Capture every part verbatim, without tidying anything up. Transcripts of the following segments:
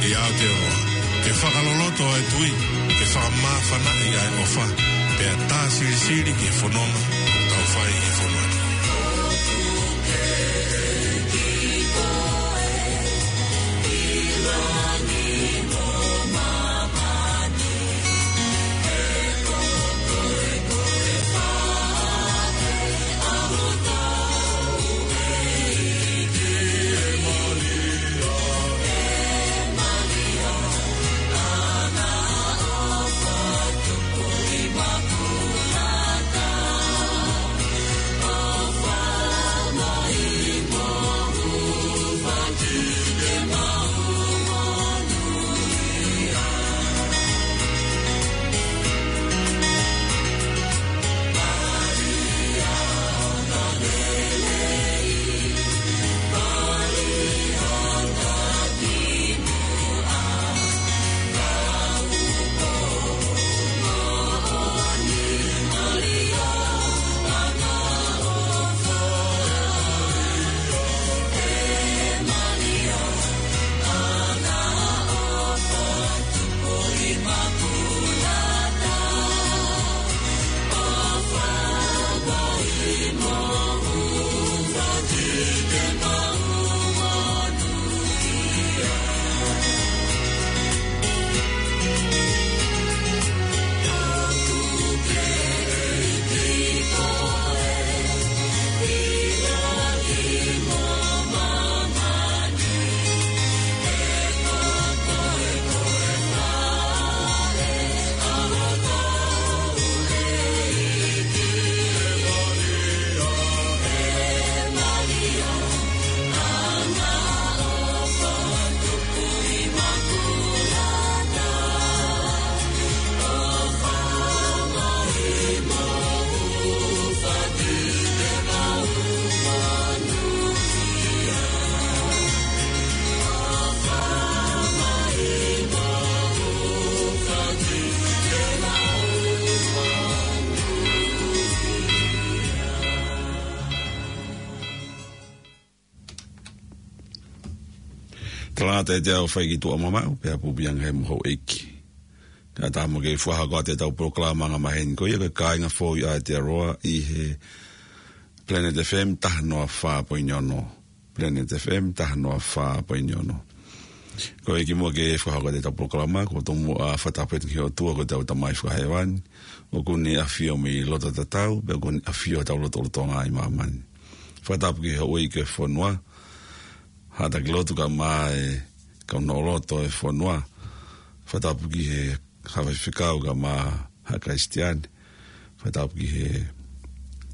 ʻI Aotearoa, ke fakaloloto ʻa e tui, ke fakamāfanaʻi ʻa e ʻofa, pea tā silisili ki he fononga ʻoku tau fai ʻi he fonua ni. Talangata ʻiate au ʻoku fai ki tuʻa mamaʻo, pea pupuʻi ange ʻe he houʻeiki. Kae ʻatā mo ke fakahoko atu ʻetau polokalama angamaheni ko ia ko e Kāinga Foʻou ʻi Aotearoa ʻi he Planet F M taha noa fā poini ono. Planet F M taha noa fā poini ono. Ko e kimuʻa ke fakahoko atu ʻetau polokalama, ʻoku ou tomuʻa fakatapu atu ki he ʻOtua ko hotau Tamai Fakahēvani, ʻoku ne ʻafio mei loto tatau, pea ʻoku ne ʻafio hotau lotolotonga ʻi māmani. Fakatapu ki he houʻeiki ʻo e fonua, haʻa taki lotu kae ʻumaʻā e kau noʻoloto ʻo e fonua. Fakatapu ki he haʻa faifekau kae ʻumaʻā haʻa Kalisitiane. Fakatapu ki he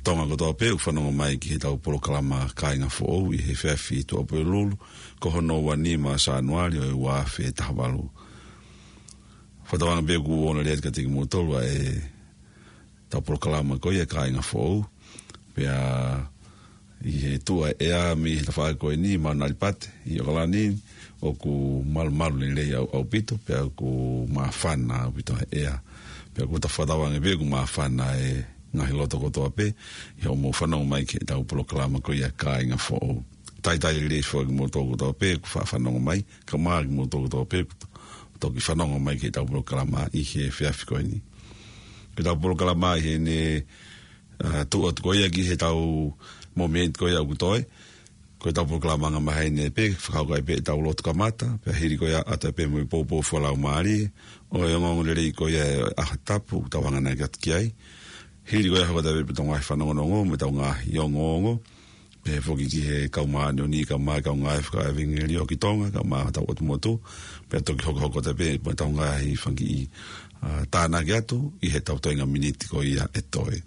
Tonga kotoa pē ʻoku fanongo mai ki heʻetau polokalama Kāinga Foʻou ʻi he efiafi Tuʻapulelulu, ko hono ua nima Sānuali ʻo e ua afe taha valu. Fakatauange pē ʻoku ongoongolelei atu kiate kimoutolu ʻa e ʻetau polokalama ko ia Kāinga Foʻou. Pea ʻi he tuʻu ʻa e ʻea mei he tafaʻaki ko eni, Maunalipate, ʻi ʻAokalani, ʻoku malumalu lelei ʻau-, ʻaupito, pea ʻoku māfana ʻaupito ʻa e ʻea. Pea ʻoku ou fakatauange pē ʻoku māfana e ngaahi loto kotoa pē, ʻi hoʻomou fanongo mai ki heʻetau polokalama ko ia Kāinga Foʻou. Talitali lelei foki kimoutolu kotoa pē ʻoku fa-, fanongo mai, kae ʻumaʻā kimoutolu kotoa pē ʻoku toki fanongo mai ki heʻetau polokalama ʻi he efiafi ko eni. Ko ʻetau polokalama ʻi heʻene, ʻa, tuʻu atu ko ia ki heʻetau mōmeniti ko ia ʻoku toe. Ko ʻetau polokalama angamaheni pē, fakahoko ai pē ʻetau lotu kamata, pea hili ko ia ʻoatu ai pē mo e poupou fakalaumālie ʻo e ongoongolelei ko ia ʻo e ʻaho tapu ʻoku tau hanganaki atu ki ai. Hili ko ia hoko atu ai pē ʻetau ngaahi fanongonongo mo ʻetau ngaahi ongoongo. Pehē foki ki he kau māʻoniʻoni, kae ʻumaʻā e kau ngāue fakaʻevangeliō ki Tonga, kae ʻumaʻā hotau ʻotu motu, pea toki hokohoko atu pē mo ʻetau ngaahi fanga kiʻi, ʻa, tānaki atu ʻi heʻetau toenga miniti ko ia ʻe toe.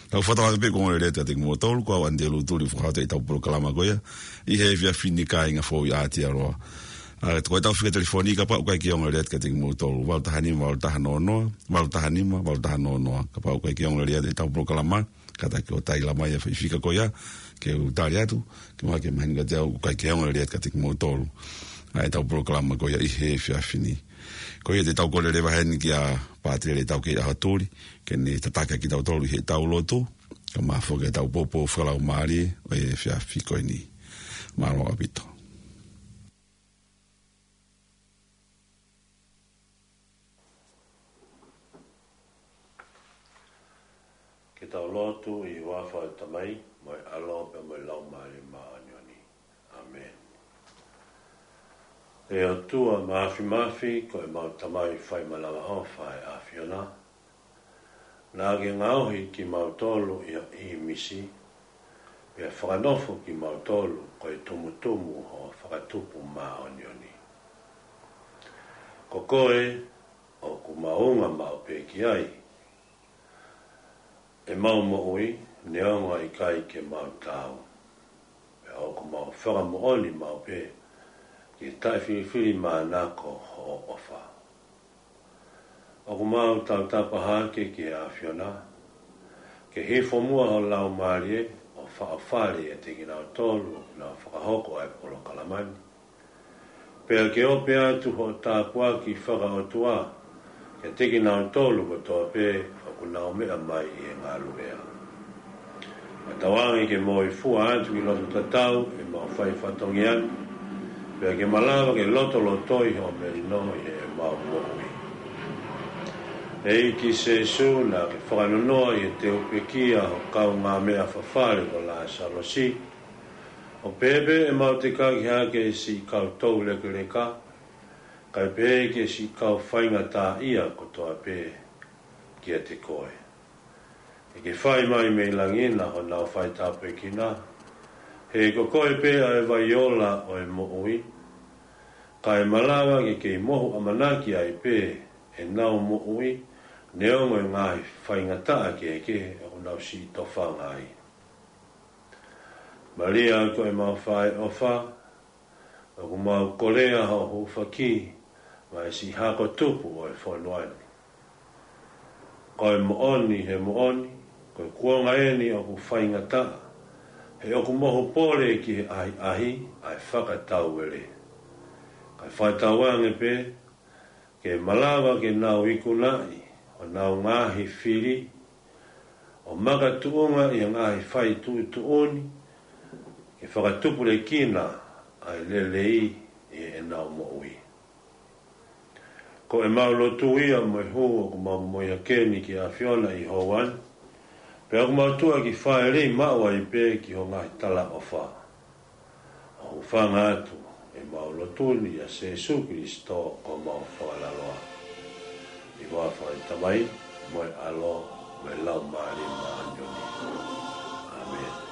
Tau fakatauange pē ʻoku ongoongolelei atu kiate kimoutolu, ko au ʻAnitelū Tuli ʻoku fakahoko atu ʻetau polokalama ko ia ʻi he efiafi ni Kāinga Foʻou ʻi Aotearoa. ʻA, ko ʻetau fika telefoni kapau ʻoku ʻikai ke ongoongolelei atu kiate kimoutolu, valu taha nima, valu taha noa noa, valu taha nima, valu taha noa noa. Kapau ʻoku ʻikai ke ongoongolelei atu ʻetau polokalama, kātaki ʻo tali mai ʻa e foʻi fika ko ia, ke u tali atu, ke mahalo ke mahino kiate au ʻoku ʻikai ke ongoongolelei atu kiate kimoutolu ʻa ʻetau polokalama ko ia ʻi he efiafi ni. Ko ia te tau kole leva heni kia Pātele Taukei ʻAhotuli, ke ne tataki kitautolu ʻi heʻetau lotu, kae ʻumaʻā foki ʻetau poupou fakalaumālie ʻo e efiafi ko eni. Mālō ʻaupito. Tau lotu. ʻI he huafa ʻo e Tamai, mo e ʻAlo, pea mo e Laumālie Māʻoniʻoni. ʻĀmeni. ʻE ʻOtua Māfimafi, ko ʻemau Tamai fai manavaʻofa ʻa e ʻAfiona, naʻa ke ngaohi kimautolu ʻi ho ʻīmisi, pea fakanofo kimautolu ko e tumutumu ʻo ho fakatupu māʻoniʻoni. Ko koe ʻoku mau unga maʻu pē ki ai ʻemau moʻui, neongo ʻikai ke mau taau. Pea ʻoku mau fakamoʻoni maʻu pē ki he taʻefilifilimānako hoʻo ʻofa. ʻOku mau tautapa hake ki he ʻAfiona, ke hifo muʻa ho Laumālie ʻo faʻofale ʻiate kinautolu ʻoku nau fakahoko ʻa e polokalama ni. Pea ke ope atu hoʻo tāpuaki fakaʻotua kiate kinautolu kotoa pē ʻoku nau meʻa mai ʻi he ngaluʻea. Ka tauange ke moifua atu ki loto tatau ʻemau fai fatongia ni, pea ke malava ke lotolotoi hoʻo melino ʻi heʻemau moʻui. ʻEiki Sēsū, naʻa ke fakanonoa ʻi he teu pekia ho kaungāmeʻa fafale ko Lāsalosi, ʻo pehē pē ʻemau tekaki hake siʻi kau toulekeleka, kae pehē ki he siʻi kau faingataʻaʻia kotoa pē kiate koe. Ke ke fai mai mei langi na honau faitāpuekina, he ko koe pē ʻa e vai ola ʻo e moʻui, kae malava ke kei mohu ʻamanaki ai pē ʻenau moʻui, neongo e ngaahi faingataʻa kehekehe ʻoku nau siʻi tofanga ai. Malia ko ʻemau faʻē ʻofa, ʻoku mau kolea hoʻo hūfaki maʻa e siʻi hako tupu ʻo e fonua ni. Ko e moʻoni he moʻoni, ko e kuonga eni ʻoku faingataʻa, he ʻoku mohu pole ki he ʻahiʻahi ʻa e fakatauele. Kae fakatauange pē, ke malava ke nau ikunaʻi honau ngaahi fili, ʻo makatuʻunga ʻi he ngaahi fai tuʻutuʻuni, ke fakatupulekina ʻa e lelei ʻi heʻenau moʻui. Ko ʻemau lotu ia mo e hū ʻoku mau momoi hake ni ki he ʻAfiona ʻi he houa ni, pea ʻoku mau tuʻa ki fale maʻu ai pē ki ho ngaahi talaʻofa. ʻOku hūfanga atu ʻemau lotu ni ʻia Sēsū Kilisitō ko homau Fakalaloa. ʻI he huafa ʻo e Tamai, mo e ʻAlo, mo e Laumālie Māʻoniʻoni. ʻĀmeni.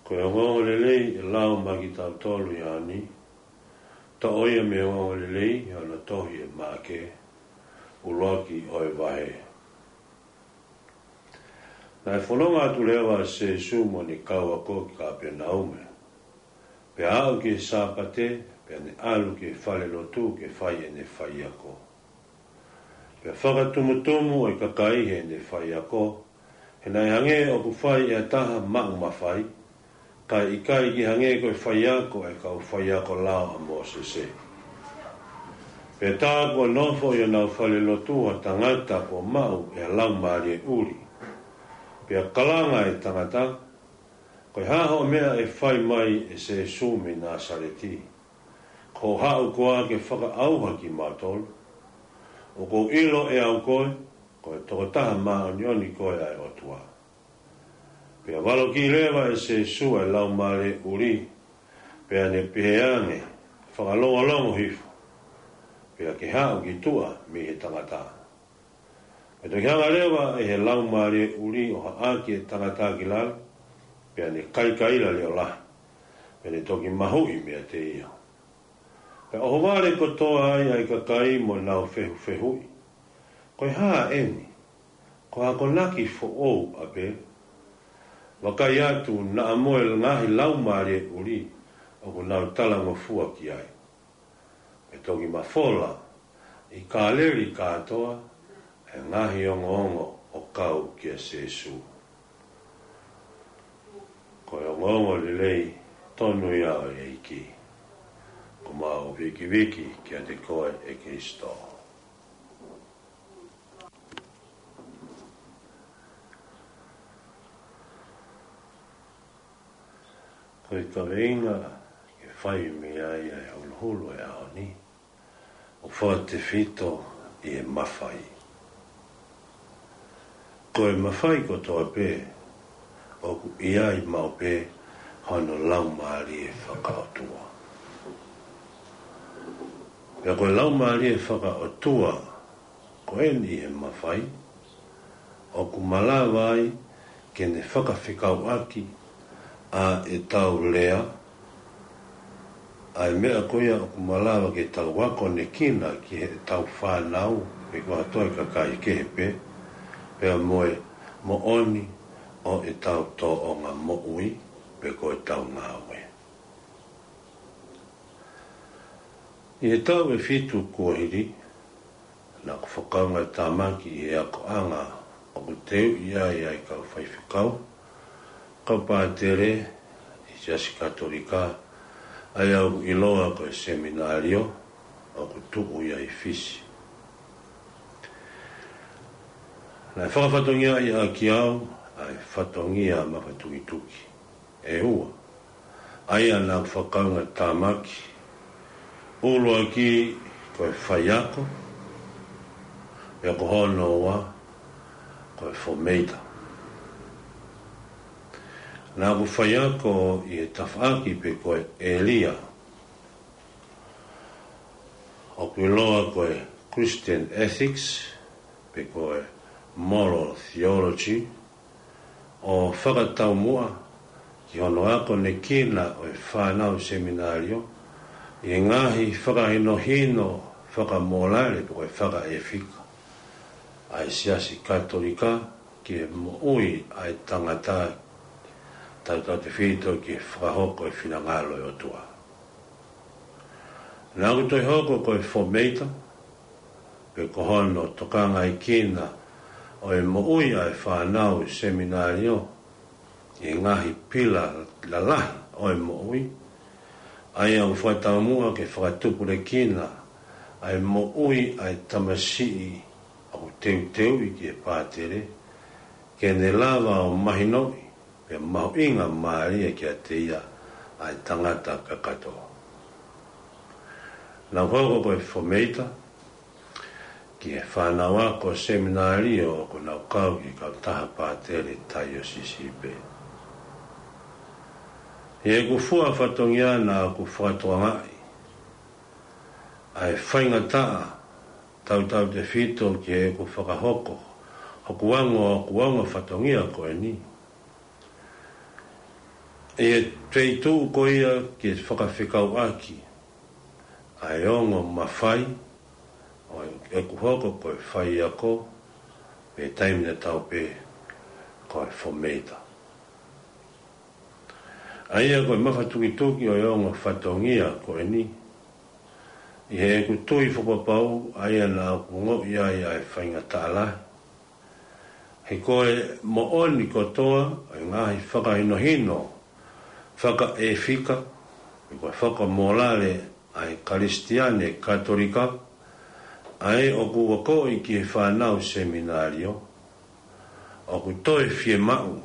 Ko e ongoongolelei ʻe lau maʻa kitautolu ʻi he ʻaho ni, toʻo ia mei he ongoongolelei ʻi hono tohi ʻe Maʻake, ʻuluaki ʻo e vahe. Naʻe fononga atu leva ʻa Sīsū mo ʻene kau ako ki Kāpenaume. Pea aʻu ki he Sāpate, pea ne ʻalu ki he falelotu ke fai ʻene faiako. Pea fakatumutumu ʻa e kakai heʻene faiako, he naʻe hangē ʻoku fai ʻe ha taha maʻu mafai, kae ʻikai ke hangē ko e faiako ʻa e kau faiako lao ʻa Mōsese. Pea tā kuo nofo ʻi honau falelotu ha tangata kuo maʻu ʻe ha laumālie ʻuli. Pea kalanga ʻa e tangata, Ko e hā hoʻo meʻa ʻe fai mai, ʻe Sīsū mei Nāsaleti? Ko hoʻo haʻu koā ke fakaʻauha kimautolu? ʻOku ou ʻilo ʻe au koe, ko e tokotaha māʻoniʻoni koe ʻa e ʻOtua. Pea valokiʻi leva ʻe Sīsū ʻa e laumālie ʻuli, pea ne pehē ange, Fakalongolongo hifo, pea ke haʻu ki tuʻa mei he tangata. Pea toki hanga leva ʻe he laumālie ʻuli ʻo haʻaki ʻa e tangata ki lalo, pea ne kaikaila leʻo lahi, pea ne toki mahuʻi meiate ia. Pea ʻohovale kotoa ai ʻa e kakai mo ʻenau fehufehuʻi, Ko e hā ʻeni? Ko ha akonaki foʻou ʻapē? Vakai atu, naʻa mo e ngaahi laumālie ʻuli ʻoku nau talangofua ki ai. Pea toki mafola ʻi Kāleli kātoa ʻa e ngaahi ongoongo ʻo kau kia Sīsū. Ko e ongoongolelei tonu ia ʻa e ʻEiki. Ko homau vikiviki kiate koe, ʻe Kalaisi. Ko e kaveinga ke fai mei ai ʻa e holoholo ʻo e ʻaho ni, ʻoku fakatefito ʻi he mafai. Ko e mafai kotoa pē, ʻoku ʻi ai maʻu pē hono laumālie fakaʻotua. Pea ko e laumālie fakaʻotua, ko eni ʻi he mafai, ʻoku malava ai ke ne fakafekauʻaki ʻa ʻetau lea, ʻa e meʻa ko ia ʻoku malava ke tau akonekina ki heʻetau fānau, pe ko ha toe kakai kehe pē, pea mo e moʻoni ʻo ʻetau tōʻonga moʻui, pe ko ʻetau ngāue. ʻI he taʻu ʻe fitu kuo hili, naʻa ku fakaʻaongaʻi tāmaki ʻi he akoʻanga ʻoku teuʻi ai ʻa e kau faifekau, kau pātele ʻi he Siasi Katolika, ʻa ia ʻoku ʻiloa ko e seminalio, ʻoku tuʻu ia ʻi Fisi. Naʻe fakafatongiaʻi ʻaki au ʻa e fatongia mafatukituki ʻe ua, ʻa ia naʻa ku fakaʻaongaʻi tāmaki, ʻuluaki ko e faiako, pea ko hono ua ko e fomēita. Naʻa ku faiako ʻi he tafaʻaki pe ko e ʻēlia ʻoku ʻiloa ko e Christian Ethics, pe ko e Moral Theology, ʻo fakataumuʻa ki hono akonekina ʻo e fānau seminalio ʻi he ngaahi fakahinohino fakamōlale pe ko e fakaʻefika ʻa e Siasi Katolika ki he moʻui ʻa e tangata, tautautefito ki he fakahoko e finangalo ʻo e ʻOtua. Naʻa ku toe hoko ko e fomēita, pe ko hono tokangaekina ʻo e moʻui ʻa e fānau seminalio ʻi he ngaahi pila lalahi ʻo e moʻui, ʻa ia ʻoku fakataumuʻa ke fakatupulekina ʻa e moʻui ʻa e tamasiʻi ʻoku teuteuʻi ki he pātele, ke ne lava ʻo mahinoʻi pea mahuʻinga mālie kiate ia ʻa e tangata kakato. Naʻa ku hoko ko e fomēita ki he fānau ako seminalio ʻoku nau kau ki he kautaha pātele taiosisi pē. ʻI heʻeku fua fatongia naʻa ku fakatokangaʻi ʻa e faingataʻa tautautefito ki heʻeku fakahoko hoku ongo, hoku ongo fatongia ko eni. ʻI he feituʻu ko ia ke fakafekauʻaki ʻa e ongo mafai ʻo ʻeku hoko ko e faiako, pe taimi tatau pē ko e formator. ʻA ia ko e mafatukituki ʻo e ongo fatongia ko eni, ʻi heʻeku tui fakapapau, ʻa ia naʻa ku ongoʻi ai ʻa e faingataʻa lahi, he ko e moʻoni kotoa ʻo e ngaahi fakahinohino fakaʻefika, pe ko e fakamōlale ʻa e Kalisitiane Katolika, ʻa ē ʻoku akoʻi ki he fānau seminalio, ʻoku toe fiemaʻu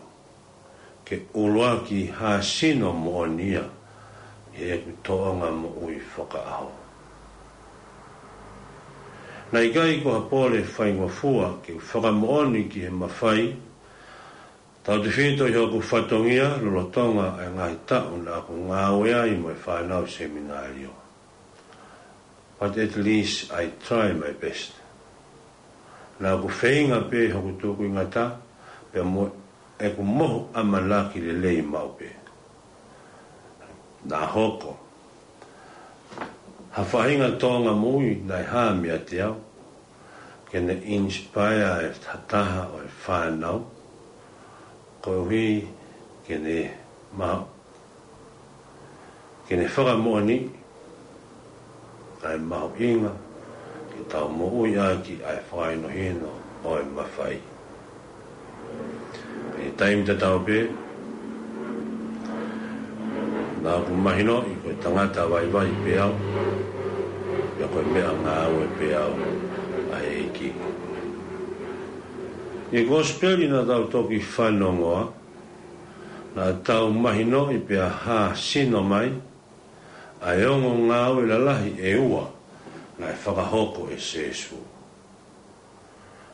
ke ʻuluaki hāsino moʻoni ia ʻi heʻeku tōʻonga moʻui fakaʻaho. Naʻe ʻikai ko ha pole faingofua ke u fakamoʻoni ki he mafai, tautefito ʻi hoku fatongia lolotonga ʻa e ngaahi taʻu naʻa ku ngāue ai mo e fānau seminalio. But at least I try my best. Naʻa ku feinga pē hoku tukuingata, pea mo ʻeku mohu ʻamanaki lelei maʻu pē. Naʻa hoko ha faʻahinga tōʻonga moʻui naʻe hā meiate au, ke ne inspire ʻe ha taha ʻo e fānau, koeʻuhi ke ne ma-, ke ne fakamoʻoniʻi ʻa e mahuʻinga ke tau moʻui ʻaki ʻa e fakahinohino ʻo e mafai. ʻI he taimi tatau pē, naʻa ku mahinoʻi ko e tangata vaivai pē au, pea ko e meʻangāue pē au ʻa e ʻEiki. ʻI he kosipeli naʻa tau toki fanongoa, naʻa tau mahinoʻi pea hāsino mai ʻa e ongo ngāue lalahi ʻe ua naʻe fakahoko ʻe Sēsū.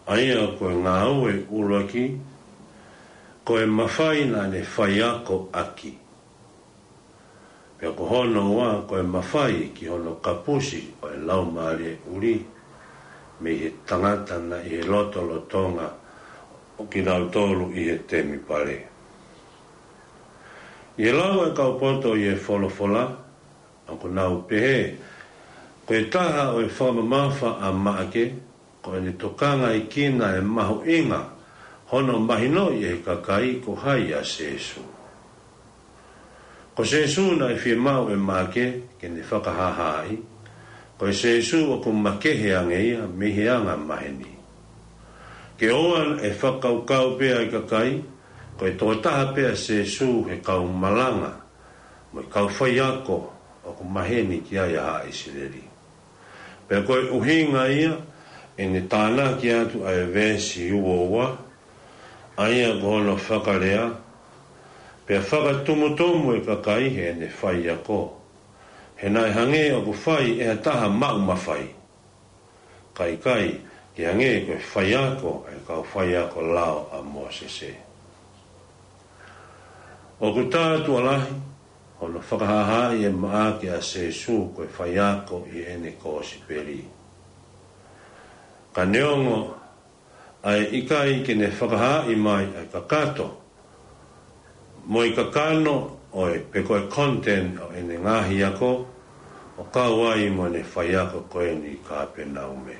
ʻA ia ko e ngāue ʻuluaki, ko e mafai naʻa ne faiako ʻaki. Pea ko hono ua, ko e mafai ki hono kapusi ʻo e Laumālie ʻuli mei he tangata naʻe ʻi he lotolotonga ʻo kinautolu ʻi he temipale. ʻI he lau ʻa e kau poto ʻi he folofola, ʻoku nau pehē, ko e taha ʻo e fakamamafa ʻa Maʻake, ko ʻene tokangaʻi kina e mahuʻinga hono mahinoʻi ʻe he kakai ko hai ʻa Sēsū. Ko Sēsū naʻe fiemaʻu ʻe Maʻake ke ne fakahāhāʻi, ko e Sēsū ʻoku makehe ange ia mei he anga maheni. Ke ʻoua ʻe fakakaukau pē ʻa e kakai, ko e tokotaha pē ʻa Sēsū he kau malanga mo e kau faiako ʻoku maheni ki ai ʻa Haʻa ʻIsileli. Pea ko e ʻuhinga ia ʻene tānaki atu ʻa e veesi uaua, ʻa ia ko hono fakalea, pea fakatumutumu e kakai heʻene faiako. He naʻe hangē ʻoku fai ʻe ha taha maʻu mafai, ka ʻikai ke hangē ko e faiako ʻa e kau faiako lao ʻa Mōsese. ʻOku tātuʻa lahi hono fakahāhāʻi ʻe Maʻake ʻa Sēsū ko e faiako ʻi heʻene kosipeli. Ka neongo ʻa e ʻikai ke ne fakahaaʻi mai ʻa e kakato mo e kakano ʻo e, pe ko e content ʻo ʻene ngaahi ako, ʻo kau ai mo ʻene faiako ko eni ʻi Kāpenaume.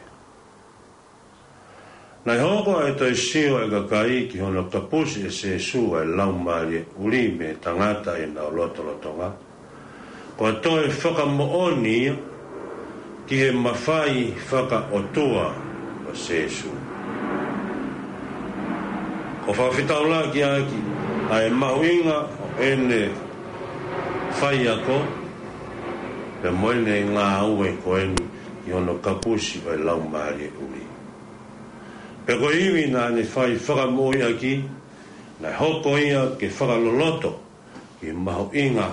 Naʻe hoko ʻa e toe sio ʻa e kakai ki hono kapusi ʻe Sēsū ʻa e Laumālie ʻuli mei he tangata ʻi heʻenau lotolotonga, ko e toe fakamoʻoni ia ki he mafai fakaʻotua ʻo Sēsū. ʻOku fakafetaulaki ʻaki ʻa e mahuʻinga ʻo ʻene faiako, pea mo ʻene ngāue ko eni ʻi hono kapusi ʻa e Laumālie ʻuli. Pea ko e ivi naʻa ne fai fakamoʻui ʻaki, naʻe hoko ia ke fakaloloto ki he mahuʻinga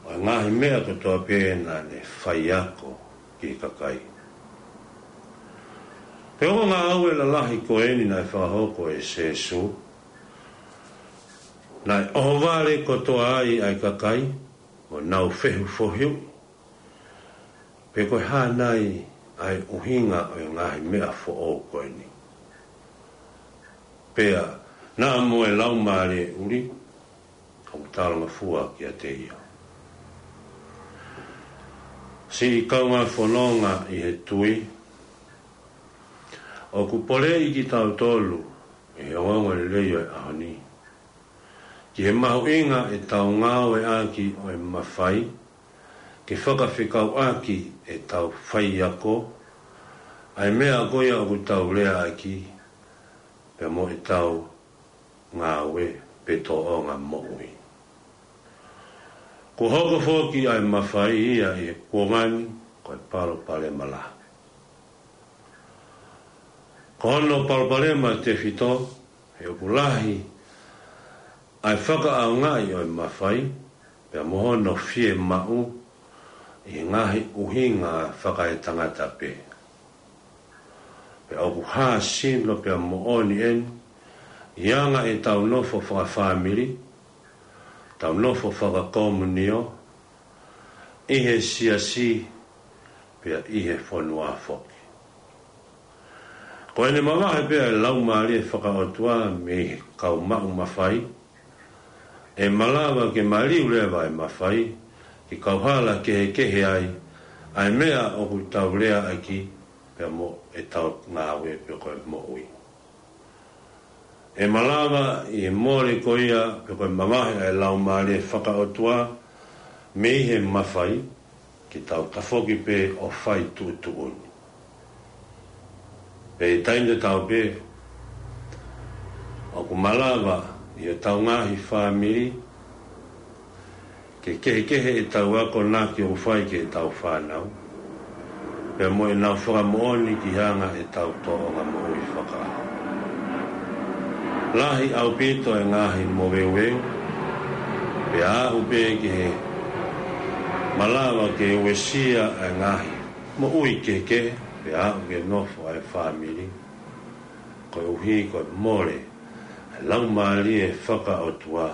ʻo e ngaahi meʻa kotoa pē naʻa ne faiako ki he kakai. He ongo ngāue lalahi ko eni naʻe fakahoko ʻe Sēsū, naʻe ʻohovale kotoa ai ʻa e kakai, mo nau fehufohiu, pe ko e hā nai ʻa e ʻuhinga ʻo e ngaahi meʻa foʻou ko eni. Pea naʻa mo e Laumālie ʻuli, ʻoku talangofua kiate ia. Siʻi kaungā fononga ʻi he tui, ʻoku poleʻi kitautolu ʻe he ongoongolelei ʻo e ʻaho ni ki he mahuʻinga ʻetau ngāueʻaki ʻo e mafai ke fakafekauʻaki ʻetau faiako, ʻa e meʻa ko ia ʻoku tau leaʻaki, pea mo ʻetau ngāue pe tōʻonga moʻui. Kuo hoko foki ʻa e mafai ia ʻi he kuonga ni ko e palopalema lahi. Ko hono palopalema tefito, he ʻoku lahi ʻa e fakaʻaongaʻi ʻo e mafai, pea mo hono fiemaʻu ʻi he ngaahi ʻuhinga fakaetangata pē. Pea ʻoku hā sino pea moʻoni eni, ʻi he anga ʻetau nofo fakafāmili, tau nofo fakakomunio, ʻi he siasi, pea ʻi he fonua foki. Ko ʻene mavahe pē ʻa e Laumālie Faka-ʻOtua mei he kau maʻu mafai, ʻe malava ke maliu leva e mafai, ke kauhala kehekehe ai ʻa e meʻa ʻoku tau leaʻaki, pea mo ʻetau ngāue pe ko e moʻui. ʻE malava ʻi he mole ko ia pe ko e mavahe ʻa e Laumālie Faka-ʻOtua mei he mafai, ke tau tafoki pē ʻo fai tuʻutuʻuni. Pea ʻi he taimi tatau pē, ʻoku malava ʻi hotau ngaahi fāmili ke kehekehe ʻetau akonaki ʻoku fai ki heʻetau fānau, pea mo ʻenau fakamoʻoni ki he anga ʻetau tōʻonga moʻui fakaʻaho. Lahi ʻaupito e ngaahi moveuveu, pea aʻu pē ki he malava ke uesia ʻa e ngaahi moʻui kehekehe, pea aʻu ke nofo ʻa e fāmili, koeʻuhi ko e mole ʻa e Laumālie Faka-ʻOtua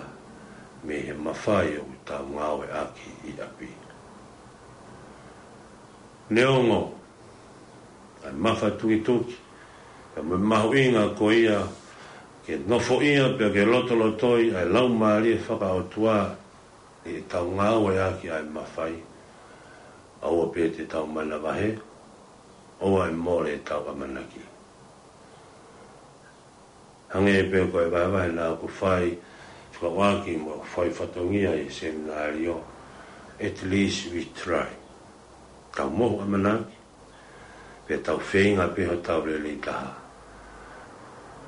mei he mafai ʻoku tau ngāueʻaki ʻi ʻapi. Neongo ʻa e mafatukituki, pea mo e mahuʻinga ko ia ke nofoʻia pea ke lotolotoi ʻa e Laumālie Faka-ʻOtua ʻi heʻetau ngāueʻaki ʻa e mafai, ʻoua pē te tau manavahē, ʻoua ʻe mole ʻetau ʻamanaki. Hangē pē ko e vahevahe naʻa ku fai, fekauʻaki mo ʻeku fai fatongia ʻi he seminalio, at least we try. Tau mohu ʻamanaki, pea tau feinga pē hotau lelei taha.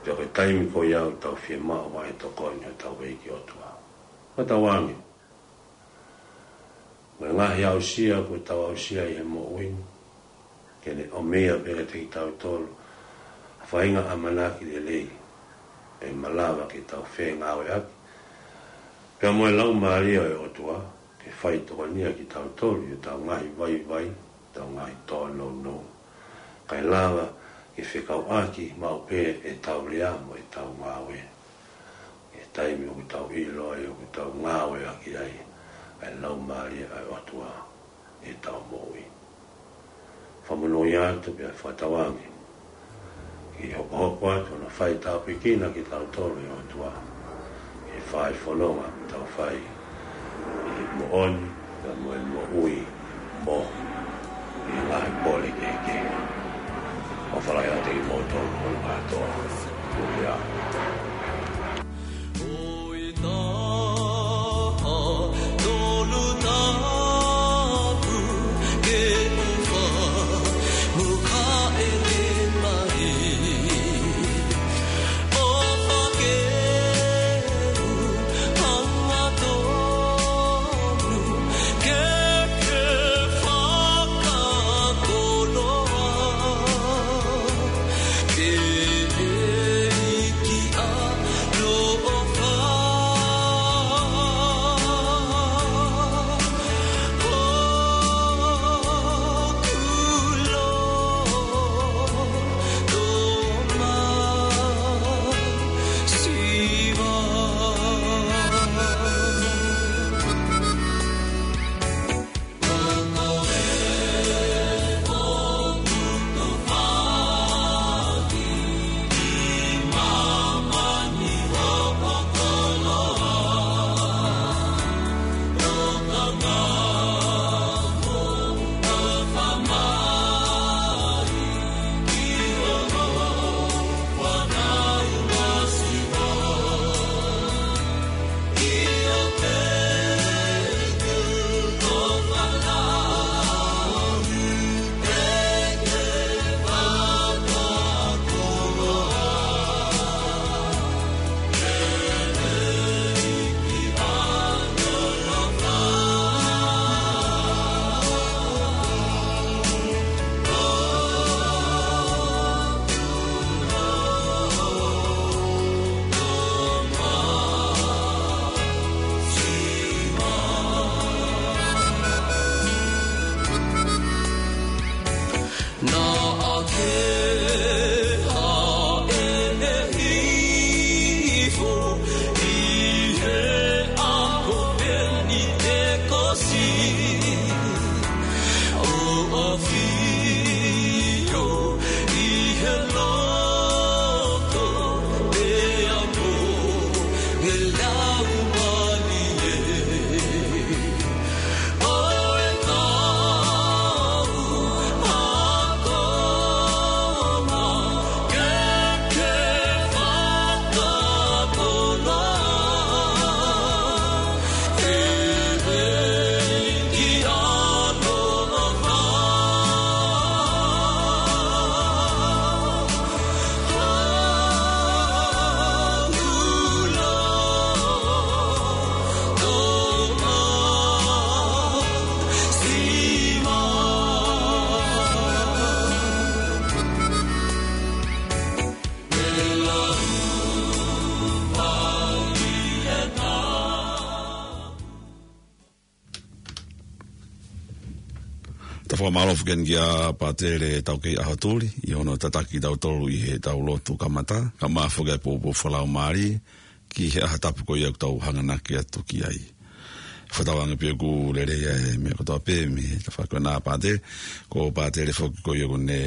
Pea ko e taimi ko ia ʻoku tau fiemaʻu ai e tokoni hotau ʻEiki ʻOtua. Hotau ange. Mo e ngaahi aʻusia kuo tau aʻusia ʻi he moʻui ni, ke ne ʻomi ia pē kiate kitautolu ha faʻahinga ʻamanaki lelei ʻe malava ke tau fengāueʻaki, pea mo e Laumālie ʻo e ʻOtua ke fai tokoniʻi kitautolu ʻi hotau ngaahi vaivai, hotau ngaahi tōnounou, kae lava ke fekauʻaki maʻu pē ʻetau lea mo ʻetau ngāue ʻi he taimi ʻoku tau ʻilo ai ʻoku tau ngāueʻaki ai ʻa e Laumālie ʻa e ʻOtua ʻi heʻetau moʻui. Fakamonūʻia atu pea fakatauange ke hokohoko atu hono fai tāpuekina kitautolu ʻe he ʻOtua ʻi he fai fononga ʻoku tau fai ʻi he moʻoni, pea mo e moʻui mo e ngaahi pole kehekehe. ʻOfa lahi atu kiate kimoutolu hono kātoa. Haleluia. Tau fakamālō foki eni kia Pātele Taukei ʻAhotuli, ʻi hono tataki tautolu ʻi heʻetau lotu kamata, kae ʻumaʻā foki e poupou fakalaumālie, ki he ʻaho tapu ko ia ʻoku tau hanganaki atu ki ai. Fakatauange pē ʻoku lelei ʻa e meʻa kotoa pē mei he tafaʻaki ko ena Pātele, ko Pātele foki ko ia ʻoku ne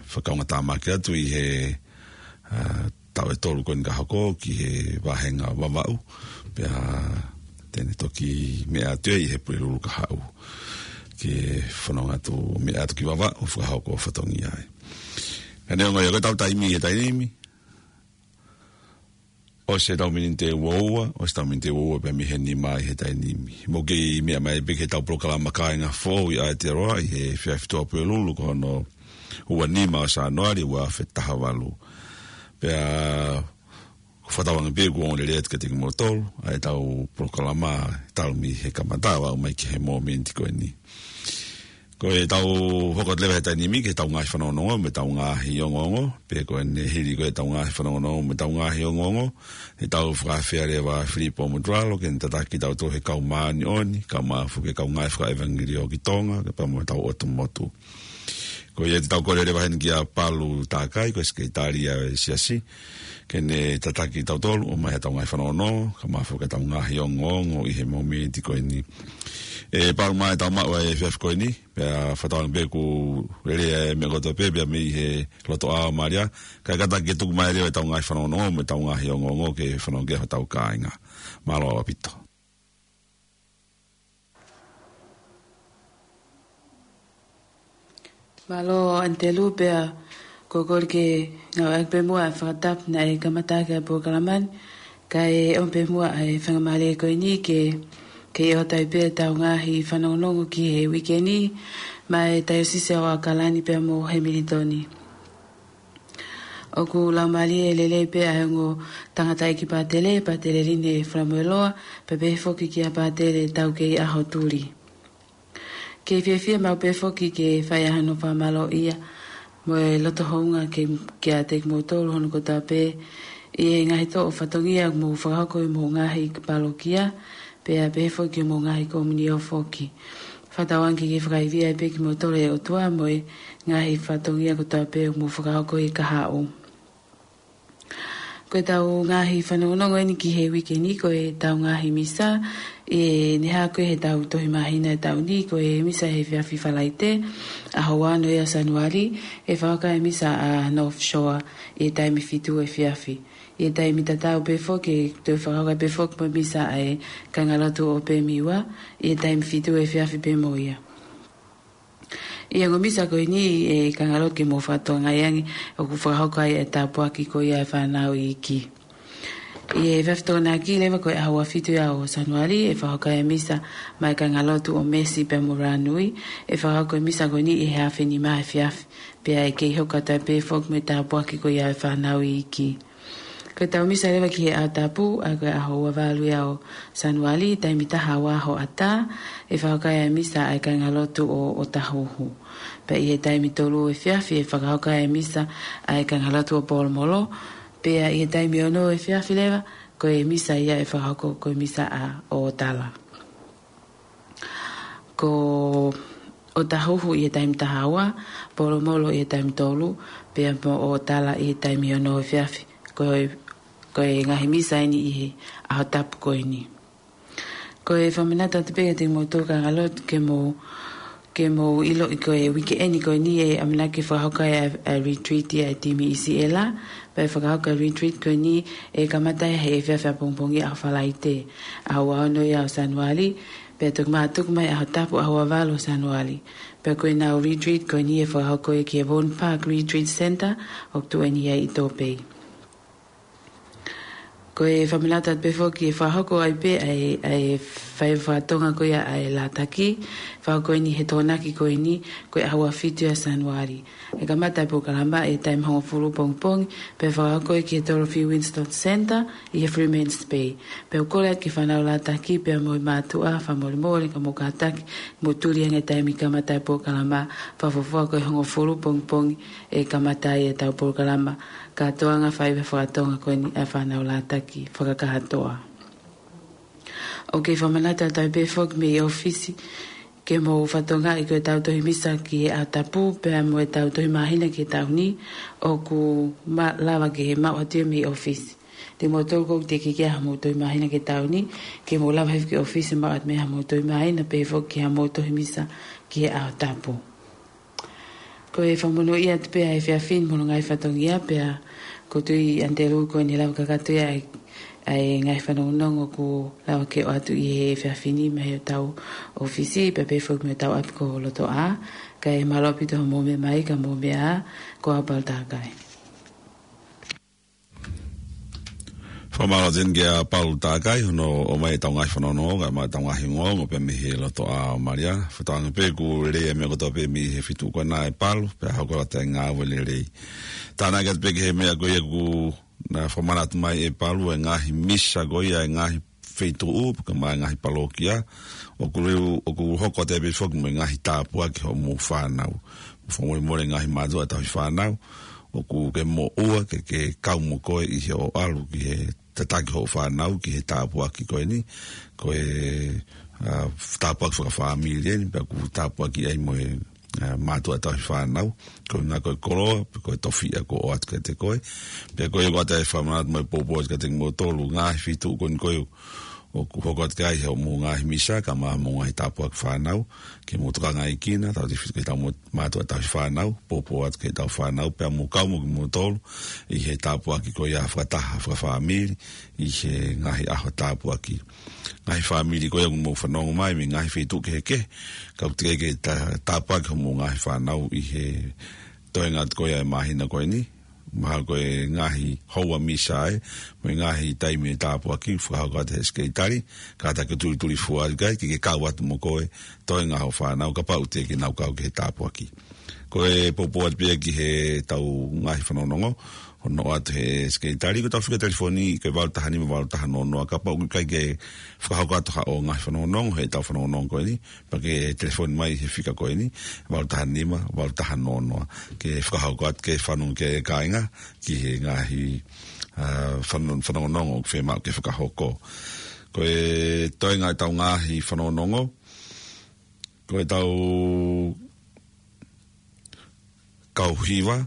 fakaongo tāmaki atu ʻi he, ʻa, taʻu ʻe tolu ko eni ka hoko ki he vāhenga Vavaʻu, pea te ne toki meʻa atu ʻi he Pulelulu kahaʻu. Ke fononga atu meʻa atu ki Vavaʻu, fakahoko fatongia ai. Ka neongo ia ko ʻetau taimi he taimi ni, ʻosi ʻetau miniti ʻe uaua, ʻosi ʻetau miniti ʻe uaua pē mei he nima ʻi he taimi ni. Mou kei meʻa mai pē ki heʻetau polokalama kāinga foʻou ʻi Aotearoa ʻi he efiafi Tuʻapulelulu ko hono ua nima ʻo Sānuali ua afe taha valu. Pea fakatauange pē ʻoku ongo lelei atu kiate kimoutolu ʻa ʻetau polokalama talu mei he kamata ʻo aʻu mai ki he mōmeniti ko eni. Ko ʻetau hoko atu leva he taimi ni ki heʻetau ngaahi fanongonongo mo ʻetau ngaahi ongoongo, pea ko ʻene hili ko ʻetau ngaahi fanongonongo mo ʻetau ngaahi ongoongo, ʻe tau fakaafeʻi leva ʻa Filipo Motuʻalo ke ne tataki tautolu he kau māʻoniʻoni, kae ʻumaʻā foki e kau ngāue fakaʻevangeliō ki Tonga, kae pehē mo hotau ʻotu motu. Ko ia te tau kole leva heni kia Palu Takai, ko e sekelitali ʻo e siasi, ke ne tataki tautolu ʻo ʻomai ʻetau ngaahi fanongonongo, kae ʻumaʻā foki ʻetau ngaahi ongoongo ʻi he mōmeniti ko eni. ʻE Palu, mai tau maʻu ʻa e efiafi ko eni, pea fakatauange pē ʻoku lelei ʻa e meʻa kotoa pē, pea mei he loto ʻaoʻao mālie, kae kātaki ke tuku mai leva ʻetau ngaahi fanongonongo mo ʻetau ngaahi ongoongo ke fanongo ki ai hotau kāinga. Mālō ʻaupito. Mālō ʻAnitelū, pea ko e kole ke ngāueʻaki pē muʻa e fakatapu naʻe kamata ʻaki ʻa e polokalama ni, kae ʻomi pē muʻa ʻa e faingamālie ko eni ke, ke ʻoatu ai pē ʻetau ngaahi fanongonongo ki he uike ni, maʻa e Taiosisi ʻo ʻAokalani pea mo Hemilitoni. ʻOku laumālie lelei pē ʻa e ongo tangataʻeiki pātele, Pātele Line Falamueloa, pea pehē foki kia Pātele Taukei ʻAhotuli. Kei fiefia maʻu pē foki ke fai ʻa hono fakamālōʻia mo e loto houngaʻia kiate kimoutolu hono kotoa pē ʻi he ngaahi toʻo fatongia ʻoku mou fakahoko ʻi homou ngaahi palokia, pea pehē foki ki homou ngaahi komiunio foki. Fakatauange ke fakaivia pē kimoutolu ʻe he ʻOtua mo e ngaahi fatongia kotoa pē ʻoku mou fakahoko ʻi he kahaʻu. Ko ʻetau ngaahi fanongonongo eni ki he uike ni, ko ʻetau ngaahi misa, ʻi he ʻaho ko ē heʻetau tohi māhina ʻo e taʻu ni, ko e misa he efiafi Falaite, ʻaho ua noa ia ʻo Sānuali, ʻe fakahoko ai e misa ʻa North Shore ʻi he taimi fitu efiafi. ʻI he taimi tatau pē foki, ʻe toe fakahoko ai pē foki mo e misa ʻa e Kāingalotu ʻo Pemiua ʻi he taimi fitu efiafi pē mo ia. ʻI he ongo misa ko eni, ʻe kāingalotu, ke mou fakatokangaʻi ange ʻoku fakahoko ai e tāpuaki ko ia ʻa e fānau iiki. ʻI he efiafi Tokonaki leva, ko e ʻaho ua fitu ia ʻo Sānuali, ʻe fakahoko ai e misa maʻá e Kāingalotu ʻo Mesi pea mo Rānui. ʻE fakahoko e misa ko eni ʻi he afe nima efiafi, pea ʻe kei hoko atu ai pē foki mo e tāpuaki ko ia ʻa e fānau iiki. Ko ʻetau misa leva ki he ʻaho tapu, ʻa ia ko e ʻaho ua valu ia ʻo Sānuali, taimi taha ua hoʻatā, ʻe fakahoko ai e misa ʻa e Kāingalotu ʻo ʻŌtāhuhu. Pea ʻi he taimi tolu efiafi, ʻe fakahoko ai e misa ʻa e Kāingalotu ʻo Polomolo. Pea ʻi he taimi ono efiafi leva, ko e misa ia ʻe fakahoko ko e misa ʻa ʻŌtala. Ko ʻo Tahuhu ʻi he taimi taha ua, Polomolo ʻi he taimi tolu, pea mo ʻOtala ʻi he taimi ono efiafi. Ko e, ko e ngaahi misa eni ʻi he ʻaho tapu ko eni. Ko e fakamanatu atu pē kiate kimoutolu kāinga lotu ke mou, ke mou ʻiloʻi ko e uike eni ko eni ʻe ʻamanaki fakahoko ai ʻa e, ʻa e retreat ʻa e timi ʻi Siela, pea ʻe fakahoko ʻa e retreat ko eni ʻe kamata he efiafi ʻapongipongi ʻaho Falaite, ʻaho ua ono ia ʻo Sānuali, pea toki mātuku mai ʻaho tapu ʻaho ua valu ʻo Sānuali. Pea ko ʻenau retreat ko eni ʻe fakahoko ia ki he Vaughan Park Retreat Centre, ʻoku tuʻu eni ia ʻi Tōpei. Ko e fakamanatu atu pē foki ʻe fakahoko ai pē ʻa e, ʻa e faiva faka-Tonga ko ia ʻa e Lātaki, fakahoko eni he Tokonaki ko eni, ko e ʻaho ua fitu ia Sānuali. ʻE kamata ʻa e polokalama ʻi he taimi hongofulu pongipongi, pea fakahoko ia ki he Dorothy Winstone Centre, ʻi he Freeman's Bay. Pea ʻoku kole atu ki he fānau Lātaki, pea mo e mātuʻa, fakamolemole ka mou kātaki, mou tuli ange taimi kamata ʻa e polokalama, fakafuofua ko e hongofulu pongipongi ʻe kamata ai ʻetau polokalama, kātoanga faiva faka-Tonga ko eni ʻa e fānau Lātaki, fakakātoa. ʻOku fakamanatu atu ai pē foki mei ʻōfisi, ke mou fakatokangaʻi ko ʻetau tohi misa ki he ʻaho tapu, pea mo ʻetau tohi māhina ki he taʻu ni, ʻoku ma-, lava ke maʻu atu ia mei ʻōfisi. Te mou tolu ʻoku teʻeki ke ʻi ai haʻamou tohi māhina ki he taʻu ni, ke mou lava hifo ki ʻōfisi maʻu atu mei ai haʻamou tohi māhina, pehē foki ki haʻamou tohi misa ki he ʻaho tapu. Ko e fakamonūʻia atu pē ʻa e efiafi ni mo hono ngaahi fatongia pea ko Tui ʻAnitelū ko eni ʻe lava kakato ia ʻa e, ʻa e ngaahi fanongonongo ʻoku lava ke ʻoatu ʻi he efiafi ni mei heʻetau ʻōfisi pea pehē foki mei hotau ʻapi ko Lotoʻā. Kae mālō ʻaupito hoʻomou meʻa mai ka mou meʻa ā, ko au Palu Takai. Fakamālō atu eni kia Palu Takai, hono ʻomai ʻetau ngaahi fanongonongo, kae ʻumaʻā ʻetau ngaahi ongoongo pē mei he Lotoʻā ʻo Malia. Fakatauange pē ʻoku lelei ʻa e meʻa kotoa pē mei he feituʻu ko ena ʻe Palu, pea hoko atu ʻa e ngāue lelei. Tānaki atu pē ki he meʻa ko ia ʻoku na fakamanatu mai ʻe Palu, ʻa e ngaahi misa ko ia, ʻa e ngaahi feituʻu, kae ʻumaʻā e ngaahi palokia, ʻoku leu, ʻoku hoko atu ai pē foki mo e ngaahi tāpuaki ki hoʻomou fānau. Fakamolemole ngaahi mātuʻa tauhi fānau, ʻoku ke moʻua ke, ke kau mo koe ʻi hoʻo ʻalu ki he tataki hoʻo fānau ki he tāpuaki ko eni, ko e, ʻa, tāpuaki fakafāmili eni, pea ʻoku tāpuakiʻi ai mo e, ʻa, mātuʻa tauhi fānau, ko e ʻuhinga ko e koloa, pe ko e tofiʻa kuo ʻoatu kiate koe, pea ko ia ʻoku ʻoatu ai e fakamanatu mo e poupou atu kiate kimoutolu, ngaahi feituʻu ko eni ko ia ʻoku hoko atu ki ai hoʻomou ngaahi misa, kae ʻumaʻā hoʻomou ngaahi tāpuaki fānau, ke mou tokangaʻi kinautolu, tautefito ki heʻetau mo-, mātuʻa tauhi fānau, poupou atu ki heʻetau fānau, pea mou kau mo kimoutolu, ʻi he tāpuaki ko ia fakataha, fakafāmili, ʻi he ngaahi ʻaho tāpuaki. Ngaahi fāmili ko ia ʻoku mou fanongo mai, mei he ngaahi feituʻu kehekehe, ka ʻoku teʻeki ke tā-, tāpuaki hoʻomou ngaahi fānau ʻi he toenga atu ko ia ʻo e māhina ko eni, mahalo ko e ngaahi houa misa ē, mo e ngaahi taimi ʻo e tāpuaki, fakahoko atu ʻe he sekelitali, kātaki ʻo tulituli fua atu ki ai, ke ke kau atu mo koe, toenga hoʻo fānau, kapau teʻeki ke nau kau ki he tāpuaki. Ko e poupou atu pē ia ki heʻetau ngaahi fanongonongo, hono ʻoatu ʻe he sekelitali, ko ʻetau fika telefoni, ko e valu taha nima, valu taha noa noa, kapau ʻoku ʻikai ke fakahoko atu haʻo ngaahi fanongonongo, heʻetau fanongonongo ko eni, pea ke telefoni mai he fika ko eni, valu taha nima, valu taha noa noa. Ke fakahoko atu, ke fanongo ki ai e kāinga, ki he ngaahi, ʻa, fanon-, fanongonongo ʻoku fiemaʻu ke fakahoko. Ko e toenga ʻetau ngaahi fanongonongo, ko ʻetau kau hiva,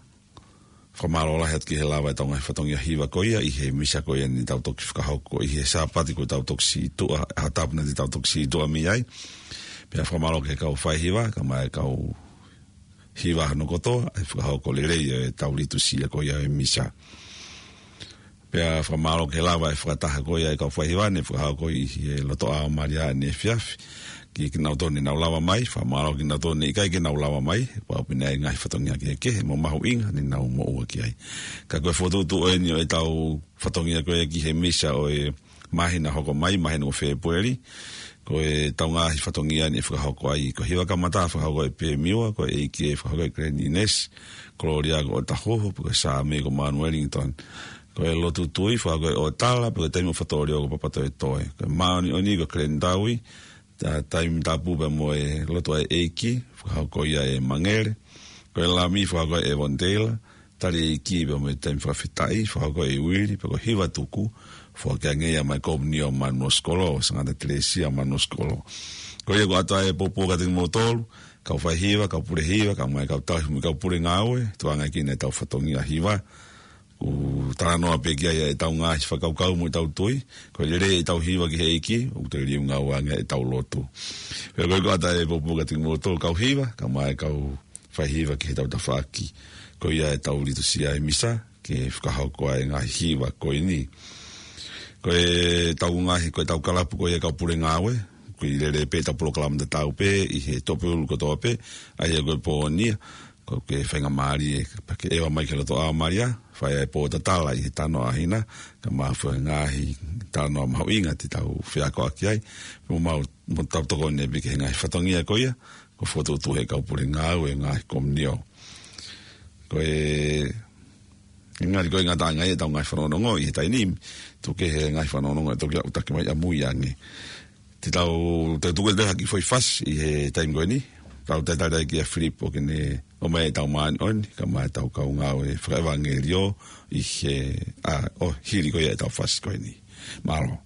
fakamālō lahi atu ki he lava ʻetau ngaahi fatongia hiva ko ia, ʻi he misa ko ia naʻa tau toki fakahoko, ʻi he Sāpate kuo tau toki sītuʻa, ʻaho tapu naʻa tau toki sītuʻa mei ai. Pea fakamālō ki he kau faihiva, kae ʻumaʻā e kau hiva hono kotoa, ʻa e fakahoko lelei ʻo ʻetau litūsia ko ia ʻo e misa. Pea fakamālō ki he lava e fakataha ko ia ʻa e kau faihiva naʻe fakahoko ʻi he Lotoʻā ʻo Malia ʻaneefiafi. Ki, kinautolu naʻa nau lava mai, fakamālō kinautolu naʻe ʻikai ke nau lava mai, pea ʻoku pehē ʻa e ngaahi fatongia kehekehe mo mahuʻinga naʻa nau moʻua ki ai. Ka ko e fokotuʻutuʻu eni ʻo ʻetau fatongia ko ia ki he misa ʻo e māhina hoko mai, māhina ʻo Fēpueli, ko ʻetau ngaahi fatongia naʻe fakahoko ai, ko e hiva kamata fakahoko ʻe Pemiua, ko e ʻEiki ʻe fakahoko ʻe Glenn Innes, Kololia ko ʻOtahuhu, pe ko e Saame ko Manu Wellington. Ko e lotu tui fakahoko ʻe ʻOtala, pe ko e taimi ʻo Fatoʻolio ko Papatoetoe. Ko e māʻoniʻoni ko Glenn Taui, ta-, taimi tapu pea mo e lotu ʻa e ʻEiki, fakahoko ia ʻe Mangele. Ko e lami fakahoko ʻe Evon Taylor, tali ʻEiki pea mo e taimi fakafetaʻi, fakahoko ʻe Uili, pea ko e hiva tuku, foaki ange ia mai Komunio Manuosikolo, Sangata Telesia Manuosikolo. Ko ia ʻoku ʻoatu ai e poupou kiate kimoutolu, kau faihiva, kau pule hiva, kae ʻumaʻā e kau tauhi mo e kau pule ngāue, tukuange ki he ʻetau fatongia hiva. ʻOku talanoa pē ki ai ʻetau ngaahi fakakaukau mo ʻetau tui, ko e lelei ʻetau hiva ki he ʻEiki, ʻoku toe liliu ngāue ange ʻetau lotu. Pea ko e ʻoatu e pōpoaki kiate kimoutolu kau hiva, kae ʻumaʻā e kau faihiva ki heʻetau tafaʻaki. Ko ia ʻetau litūsia ʻi he misa, ke fakahoko ai e ngaahi hiva ko eni. Ko ʻetau ngaahi, ko ʻetau kalapu ko ia kau pule ngāue, ʻoku lele pē ʻetau polokalama tatau pē ʻi he toʻopulu kotoa pē, ʻa ia ko e pō ni, ko e faingamālie, pea ke ʻeva mai ki he loto ʻa Malia, fai ai e pō tatala ʻi he talanoa ʻa hina, kae ʻumaʻā e ngaahi talanoa mahuʻinga te tau feakoʻaki ai, mo mau, mo tau tokoni pē ki he ngaahi fatongia ko ia, ko e fokotuʻutuʻu ʻe he kau pule ngāue e ngaahi komiunitī. Ko e, ʻe ngali ko e ngataʻanga ia ʻetau ngaahi fanongonongo ʻi he taimi ni, tuku kehe e ngaahi fanongonongo ʻe toki aʻutaki mai ʻamui ange. Te tau, te u tuku atu ha kiʻi foʻi fasi ʻi he taimi ko eni, tau talitali ai kia Filipo ke ne ʻomai ʻetau māʻoniʻoni, kae ʻumaʻā ʻetau kau ngāue fakaʻevangeliō ʻi he, ʻa, ʻo hili ko ia ʻetau fasi ko eni. Mālō.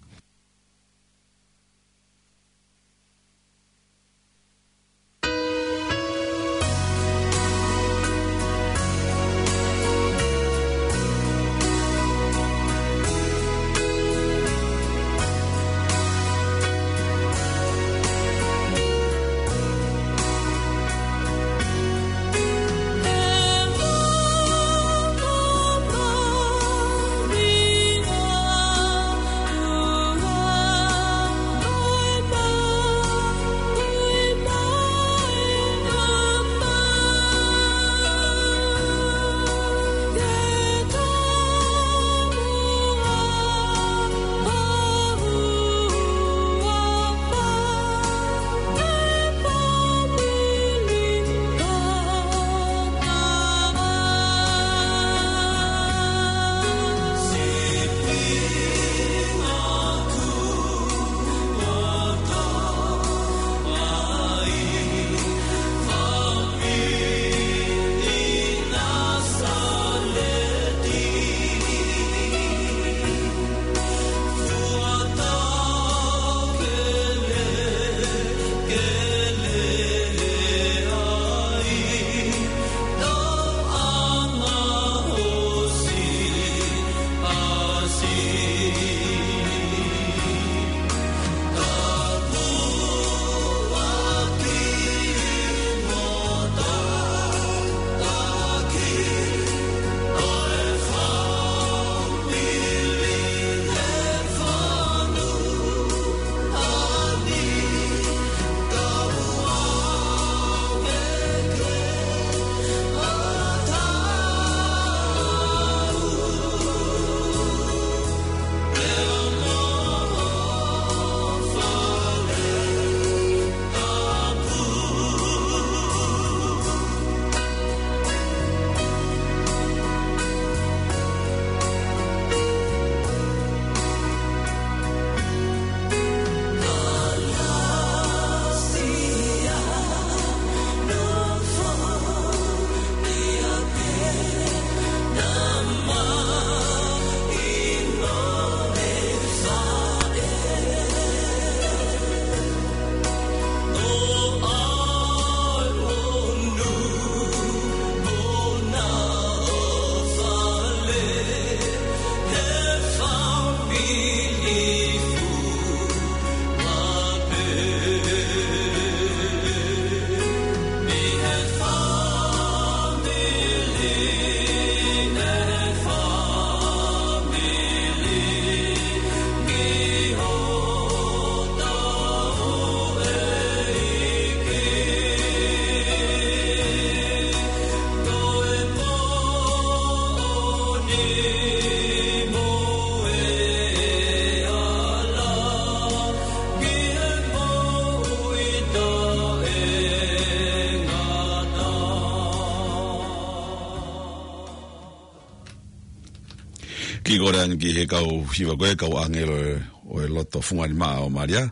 Kiʻi kole ange ki he kau hiva ko e kau ʻāngelo ʻo e loto funga nima ʻo Malia,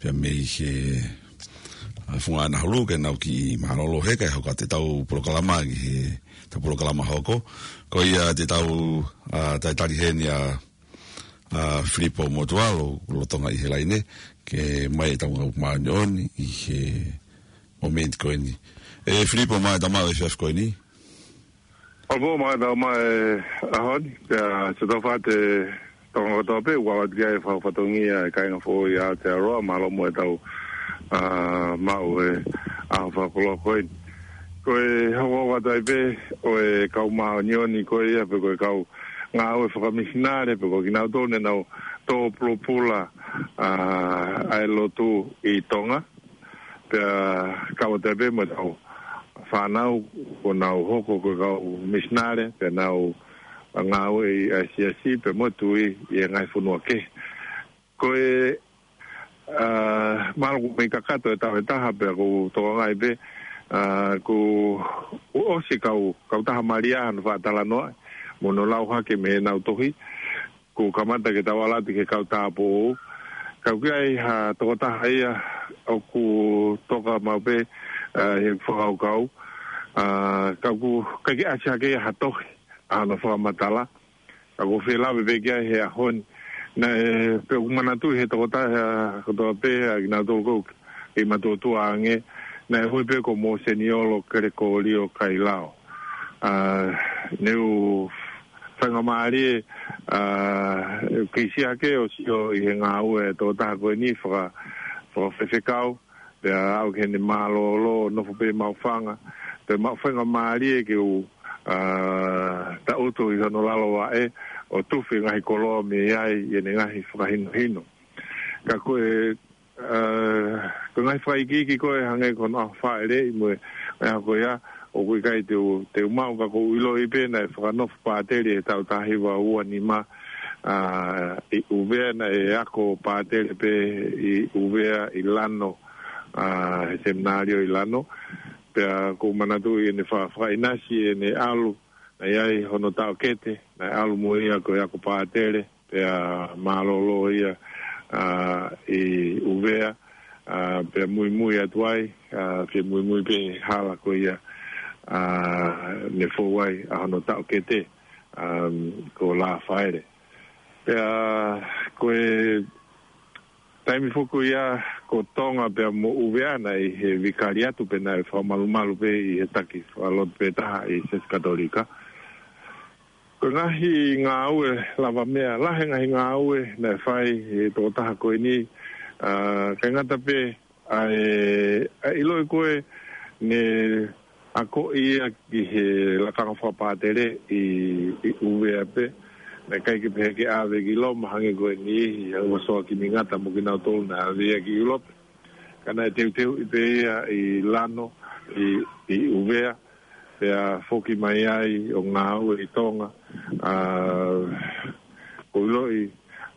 pea mei he, ʻa, funga ʻanahulu ke nau kiʻi mālōlō he kae hoko atu ʻetau polokalama ki heʻetau polokalama hoko. Ko ia te tau, ʻa, talitali heni ʻa, ʻa Filipo Motualo, lolotonga ʻi he laine, ke ʻomai ʻetau ngāue māʻoniʻoni ʻi he ʻo e miniti ko eni. ʻE Filipo, mālō e tau maʻu e efiafi ko eni. ʻOku mālō e tau maʻu e ʻaho ni, pea ʻoku tau fate tonga kotoa pē, ʻoku ʻalu atu ki ai e fakafatongia e kāinga foʻou ʻi Aotearoa, mālō muʻa e tau, ā, maʻu e ʻaho fakakoloa ko eni. Ko e hoko atu ai pē ʻo e kau māʻoniʻoni ko ia, pe ko e kau ngāue fakamisinale, pe ko kinautolu ne nau tō pulopula, ā, ʻa e lotu ʻi Tonga. Pea kau atu ai pē mo e kau fānau, ʻoku nau hoko ko e kau misinale, pea nau ngāue ʻi he siasi, pea mo e tui ʻi he ngaahi fonua kehe. Ko e, ā, mālō ʻoku mei kakato e tau e taha, pea ʻoku ou tokangaʻi pē, ā, kuo ʻosi kau, kau taha malia hano faʻa talanoa, mo hono lau hake mei heʻenau tohi, kuo kamata ke tau ʻalu atu ki he kau tāupoʻou. Ka ʻoku ʻi ai ha tokotaha ia ʻoku toka maʻu pē, ā, he fakakaukau. Ā, ka ʻoku ʻikai ke ʻasi hake ia ha tohi, ʻa hono fakamatala. Ka ʻoku ou fie lave pē ki ai he ʻaho ni. Naʻe, pea ʻoku ou manatuʻi he tokotaha kotoa pē, ʻa kinautolu ʻoku kei matuʻotuʻa ange, naʻe ui pē ko Moseniolo Kelekōlio Kailao. Ā, ne u faingamālie, ā, kei siʻi hake ʻo sio ʻi he ngāue ʻa e tokotaha ko eni faka-, fakafaifekau, pea aʻu ki heʻene mālōlō, nofo pē maʻu fanga, pea maʻu faingamālie ke u, ā, taʻutu ʻi hono lalo vaʻe, ʻo tufi e ngaahi koloa mei ai, ʻi heʻene ngaahi fakahinohino. Ka ko e, ā, ko e ngaahi fakaikiiki ko ē hangē ko hono ʻaho fāʻeleʻi mo e, mo e ʻaho ko ia, ʻoku ʻikai te u, te u maʻu ka ʻoku ou ʻiloʻi pē naʻe fakanofo pātele he taʻu taha hiva ua nima, ā, ʻi ʻUvea, naʻe ako pātele pē ʻi ʻUvea ʻi Lano, ā, he seminalio ʻi Lano. Pea ʻoku ou manatuʻi ʻene fa-, fakaʻinasi ʻene ʻalu, naʻe ʻi ai hono taʻokete, naʻe ʻalu mo ia ko e ako pātele, pea mālōlō ia, ā, ʻi ʻUvea, ā, pea muimui atu ai, ā, pea muimui pē he hala ko ia, ā, ne fou ai ʻa hono taʻokete, ā, ko Lāfaele. Pea ko e taimi foki ia ko Tonga pea mo ʻUvea naʻe ʻi he vikaliatu pe naʻe fakamalumalu pē ʻi he taki fakalotu pē taha ʻi he Siasi Katolika. Ko e ngaahi ngāue lavameʻa, lahi e ngaahi ngāue naʻe fai ʻe he tokotaha ko eni, ā, ʻikai ngata pē ʻa e, ʻa e ʻiloʻi ko ē ne akoʻi ia ki he lakanga fakapātele ʻi, ʻi ʻUvea pē. Naʻe ʻikai ke pehē ke ʻave ki Loma hangē ko e niʻihi, hangē ko Soa Kimingata mo kinautolu naʻe ʻave ia ki ʻIulope. Ka naʻe teuteuʻi pē ia ʻi Lano, ʻi, ʻi ʻUvea, pea foki mai ai ʻo ngāue ʻi Tonga. Ā, ʻoku ou ʻiloʻi,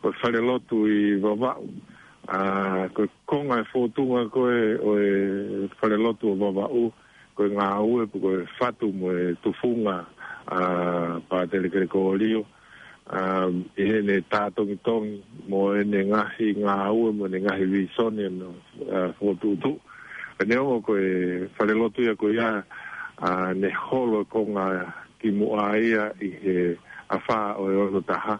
ko e falelotu ʻi Vavaʻu. Ā, ko e konga e fōtunga ko ē ʻo e falelotu ʻo Vavaʻu, ko e ngāue pe ko e fatu mo e tufunga, ā, Pātele Kelekōlio, ā, ʻi heʻene tātongitongi mo ʻene ngaahi ngāue mo ʻene ngaahi vīsone ʻo, ā, fokotuʻutuʻu. Ka neongo ko e falelotu ia ko ia, ā, ne holo e konga kimuʻa ia ʻi he afā ʻo e ono taha.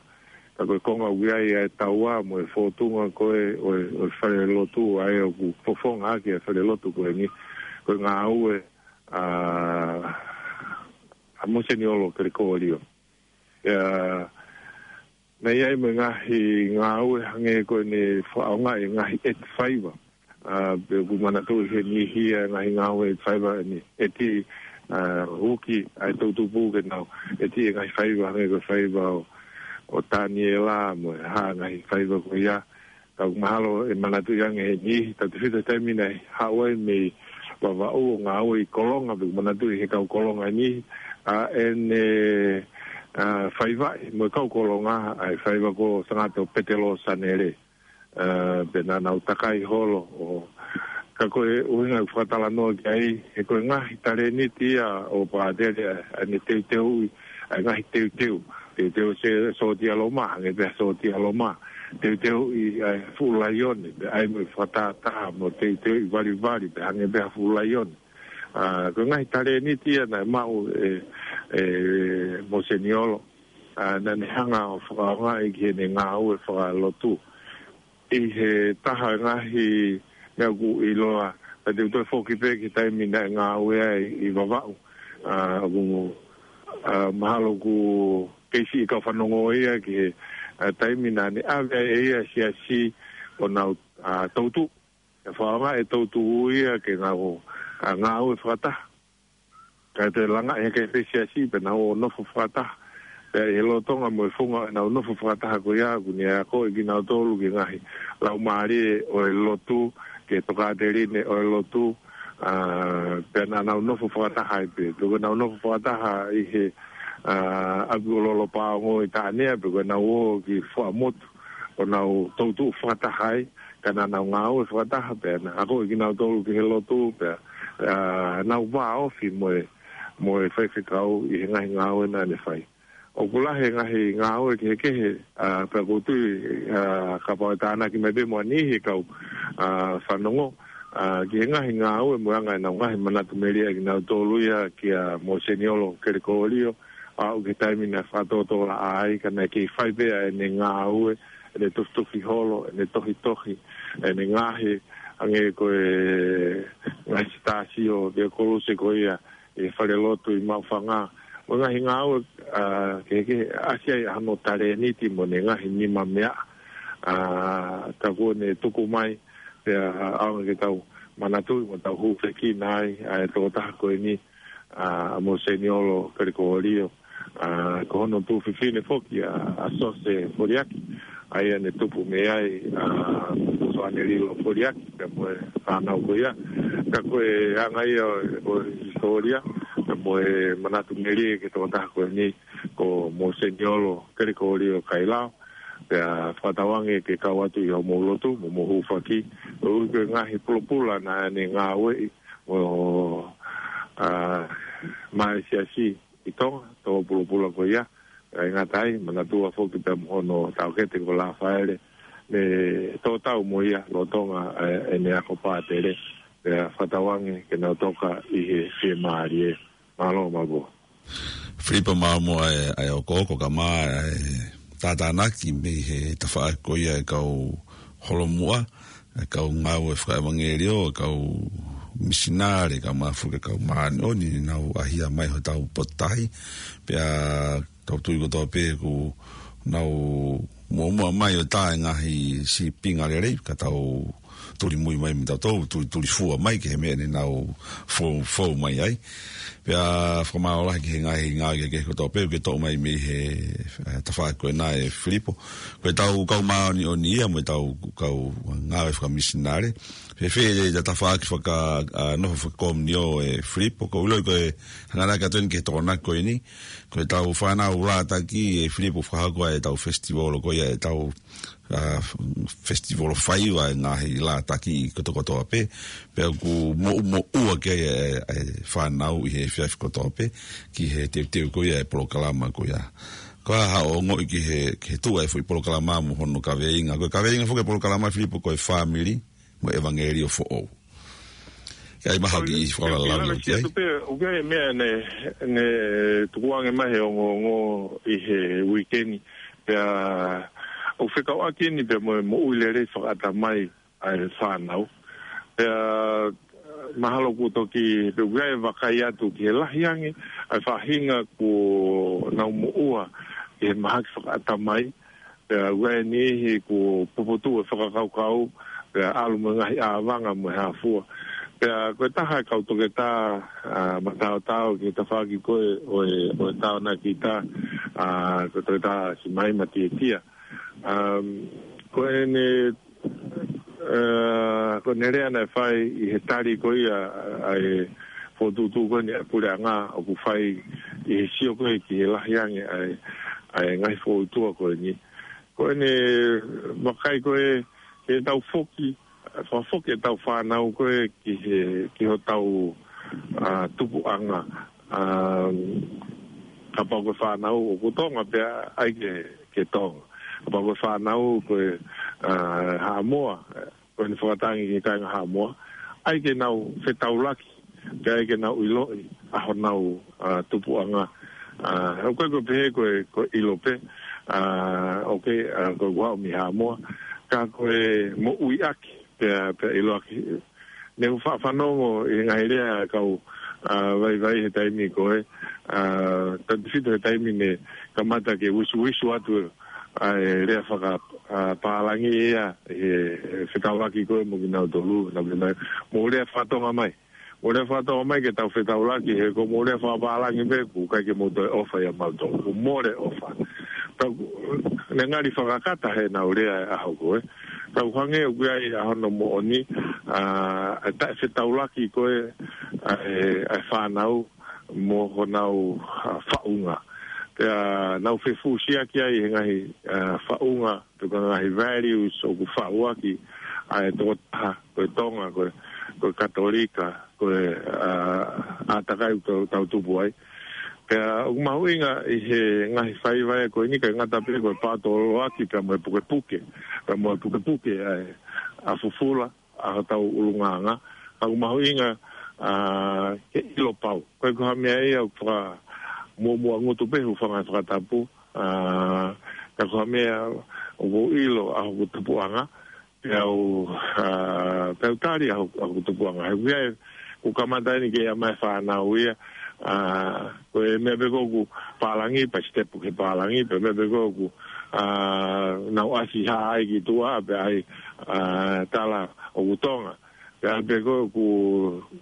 Ka ko e konga ʻoku ʻi ai ʻa e taua mo e fōtunga ko ē ʻo e, ʻo e falelotu ʻa ē ʻoku fofonga ʻaki e falelotu ko eni, ko e ngāue ʻa, ʻa Moseniolo Kelekōlio. Pea naʻe ʻi ai mo e ngaahi ngāue hangē ko ʻene fakaʻaongaʻi e ngaahi ʻeti faiva. Ā, pea ʻoku ou manatuʻi he niʻihi ʻa e ngaahi ngāue ʻeti faiva ʻene ʻeti, ā, uki ʻa e toʻutupu ke nau ʻeti e ngaahi faiva hangē ko e faiva ʻo, ʻo Taniela mo e hā ngaahi faiva ko ia. Ka ʻoku mahalo ʻe manatuʻi ange he niʻihi, tautefito he taimi naʻe haʻu ai mei Vavaʻu ʻo ngāue ʻi Kolonga, pea ʻoku manatuʻi he kau Kolonga e niʻihi, ʻa ʻene, ā, faiva mo e kau Kolonga, ʻa e faiva ko Sangato Petelo Sanele. Ā, pea naʻa nau takai holo ʻo, ka ko e ʻuhinga ʻeku fakatalanoa ki ai, he ko e ngaahi talēniti ia ʻo Pātele, ʻa ʻene teuteuʻi ʻa e ngaahi teuteu. Teuteu e sōtia Loma, hangē pē ha sōtia Loma. Teuteuʻi ʻa e fuʻu laione, pea ʻai mo e fakatātā mo teuteuʻi valivali, pea hangē pē ha fuʻu laione. Ā, ko e ngaahi talēniti ia naʻe maʻu ʻe, ʻe Moseniolo. Ā, naʻa ne hanga ʻo fakaʻaongaʻi ki heʻene ngāue fakalotu. ʻI he taha e ngaahi meʻa ʻoku ʻiloa Pea te u toe foki pē ki he taimi naʻe ngāue ai ʻi Vavaʻu. ʻA, ʻoku, ʻa, mahalo ʻoku kei siʻi kau fanongo ia ki he, ʻa, taimi naʻa ne ʻave ai ʻe ia e siasi ʻo nau, ʻa, toutuʻu. ʻE fakaʻaongaʻi e toutuʻu ia ke nau, ʻa, ngāue fakataha. Kae toe langaʻi hake pē siasi pea nau ō ʻo nofo fakataha. Pea ʻi he lolotonga mo e funga ʻenau nofo fakataha ko ia, kuo ne akoʻi kinautolu ki he ngaahi laumālie ʻo e lotu, ki he tokāteline ʻo e lotu, ʻa, pea naʻa nau nofo fakataha ai pē. Pea ko ʻenau nofo fakataha ʻi he, ʻa, ʻapi ʻo Lolopaongo ʻi Taʻanea, pea ko ʻenau ō ki Fuaʻamotu, ʻo nau toutuʻu fakataha ai, ka naʻa nau ngāue fakataha pea naʻe akoʻi kinautolu ki he lotu pea, ʻa, nau vāofi mo e, mo e faifekau ʻi he ngaahi ngāue naʻa ne fai. ʻOku lahi e ngaahi ngāue kehekehe, ʻa, pea ʻoku ou tui, ʻa, kapau ʻe tānaki mai pē mo ha niʻihi e kau, ʻa, fanongo, ʻa, ki he ngaahi ngāue mo e anga ʻenau ngaahi manatu melie ʻa kinautolu ia kia Moseniolo Kelekōlio, ʻa, ʻo ki he taimi naʻe fakatōtōlaʻā ai, ka naʻe kei fai pē ʻa ʻene ngāue, ʻene tufitufi holo, ʻene tohitohi, ʻene ngaohi, hangē ko e ngaahi sitāsio ʻo e koluse ko ia ʻi he falelotu ʻi Maʻufanga. Mo e ngaahi ngāue, ʻa, kehekehe, ʻasi ai ʻa hono talēniti mo ʻene ngaahi nimameaʻa, ʻa, ka kuo ne tuku mai, pea ʻaonga ke tau manatuʻi mo tau hūfekina ai ʻa e tokotaha ko eni, ʻa, Moseniolo Kelekōlio, ʻa, ko hono tuofefine foki ʻa, ʻa Sose Foliaki, ʻa ia ne tupu mei ai ʻa Soane Lilo Foliaki, pea mo e fānau ko ia. Ka ko e anga ia ʻo e hisitōlia, pea mo e manatu melie ki he tokotaha ko eni ko Moseniolo Kelekōlio Kailao, pea fakatauange ke kau atu ʻi hoʻomou lotu, mo hoʻomou hūfaki, ʻo ui ko e ngaahi pulopula naʻa ne ngāueʻi, ʻo, ʻa, maʻa e siasi ʻi Tonga, tō pulopula ko ia, ʻa e ngata ai, manatua foki pea mo hono taʻokete ko Lafaele, ne tō tau mo ia, lolotonga, ʻa e, ʻene ako pātele, pea fakatauange ke nau toka ʻi he fiemālie. Mālō Mavua. Filipo Maamo ʻa e, ʻa e okooko ka mā ʻa e tātānaki mei he tafaʻaki ko ia e kau holomuʻa, e kau ngāue fakaʻevangeliō, e kau misinale, ka mā foki e kau māʻoniʻoni, nau ʻahia mai hotau potu tahi, pea tau tui kotoa pē kuo nau muʻomuʻa mai ʻo tā e ngaahi sīpinga lelei, ka tau tuli mui mai mo tautolu, tuli, tuli fua mai ki he meʻa ne nau fou, fou mai ai. Pea fakamālō lahi ki he ngaahi ngāue kehekehe kotoa pē, ke toʻo mai mei he, ʻa, tafaʻaki ko ena ʻe Filipo. Ko e tau kau māʻoniʻoni ia, mo e tau kau ngāue fakamisinale. Fēfē e tafaʻaki faka, ʻa, nofo fakakomiunio ʻe Filipo, ʻoku ou ʻiloʻi ko e hanganaki atu eni ki he Tokonaki ko eni. Ko e tau fānau Lātaki ʻe Filipo fakahoko ai e tau festival ko ia e tau ʻa, festival faiva e ngaahi Lātaki kotokotoa pē, pea ʻoku moʻumoʻua ke, ʻe, ʻe fānau ʻi he efiafi kotoa pē, ki he teuteu ko ia e polokalama ko ia. Ko e hā hoʻo ongoʻi ki he, ki he tuʻu ʻa e foʻi polokalama mo hono kaveinga. Ko e kaveinga foki e polokalama Filipo ko e fāmili mo e ʻevangeliō foʻou. Ka ʻi ai mahaki ʻi fakalalaulau ki ai. Pē, ʻoku ʻi ai e meʻa ne, ne tukuange mai he ongoongo ʻi he uike ni. Pea, ʻoku fekauʻaki eni pea mo e moʻui lelei fakaʻatamai ʻa e fānau. Pea, mahalo kuo toki, pea ʻoku ʻi ai e vakai atu ki he lahi ange ʻa e faʻahinga kuo nau moʻua ʻi he mahaki fakaʻatamai. Pea ʻoku ʻi ai e niʻihi kuo puputuʻu e fakakaukau, pea ʻalu mo e ngaahi ʻāvanga mo e hā fua. Pea ko e taha e kau toketā, ʻa, mataotao ki he tafaʻaki ko ē ʻo e, ʻo e tāonakita, ʻa, ko e toketā Simaima Tietia. Um, ko ʻene, ʻa, ko ʻene lea naʻe fai ʻi he tali ko ia ʻa e fokotuʻutuʻu ko eni ʻa e puleʻanga ʻoku fai ʻi he sio ko ē ki he lahi ange ʻa e, ʻa e ngaahi fokoutua ko eni. Ko ʻene vakai ko ē, ke tau foki, fakafoki e tau fānau ko ē ki he, ki hotau, ʻa, tupuʻanga. ʻA, kapau ko e fānau ʻoku Tonga pea ʻai ke, ke Tonga. Kapau ko e fānau ko ē, ʻa, Haʻamoa, ko ʻene fakatangi ki he kāinga Haʻamoa, ʻai ke nau fetaulaki, pea ʻai ke nau ʻiloʻi ʻa honau, ʻa, tupuʻanga. ʻA, ʻoku ʻikai ko e pehē ko e, ko e ʻilo pē, ʻa, ʻoku ʻikai, ʻa, ko e kuo haʻu mei Haʻamoa, ka ko e moʻuiʻaki, pea, pea ʻiloʻaki, Ne u fa-, fanongo ʻi he ngaahi lea ʻa e kau, ʻa, vaivai he taimi ko ē, ʻa, tau tefito he taimi ne kamata ke visuvisu atu ʻa e lea faka-, ʻa, pālangi ia, he, he fetaulaki ko ē mo kinautolu, naʻa pē mai, mou lea faka-Tonga mai. Mou lea faka-Tonga mai ke tau fetaulaki, he ko mou lea faka-pālangi pē, ʻoku ʻikai ke mou toe ʻofa ʻia mautolu, ʻoku mole ʻofa. Tau, ne ngali fakakata he nau lea ʻa e ʻaho ko ē. Tau hangē ʻoku ʻi ai ʻa hono moʻoni, ʻa, ʻa e taʻefetaulaki ko ē, ʻa e, ʻa e fānau mo honau, ʻa, faʻunga. Pea nau fefusiaki ai he ngaahi, ʻa, faʻunga, pe ko e ngaahi values ʻoku faʻuaki ʻa e tokotaha, ko e Tonga, ko e, ko e Katolika, ko e, ʻa, ʻātakai ʻoku tau, tau tupu ai. Pea ʻoku mahuʻinga ʻi he ngaahi faiva ko eni, ʻikai ngata pē ko e paotoloaki pea mo e pukepuke, pea mo e pukepuke ʻa e, ʻa e fufula, ʻa hotau ʻulungaanga. Ka ʻoku mahuʻinga, ʻa, ke ʻilo pau. ʻIkai ko ha meʻa ia ʻoku fakamuʻomuʻa ngutu pē, hūfanga he fakatapu, ʻa, ka ko ha meʻa ʻoku ou ʻilo ʻa hoku tupuʻanga, pea u, ʻa, pea u tali ʻa hoku, ʻa hoku tupuʻanga. He ʻoku ʻi ai, ʻoku kamata eni ke ʻi ai mai e fānau ia, ʻa, ko e meʻa pē ko ē ʻoku pālangi, pea sitepu ki he pālangi, pea meʻa pē ko ē ʻoku, ʻa, nau ʻasi hā ai ki tuʻa, pea ʻai, ʻa, tala ʻoku Tonga. Pea pē ko ē ʻoku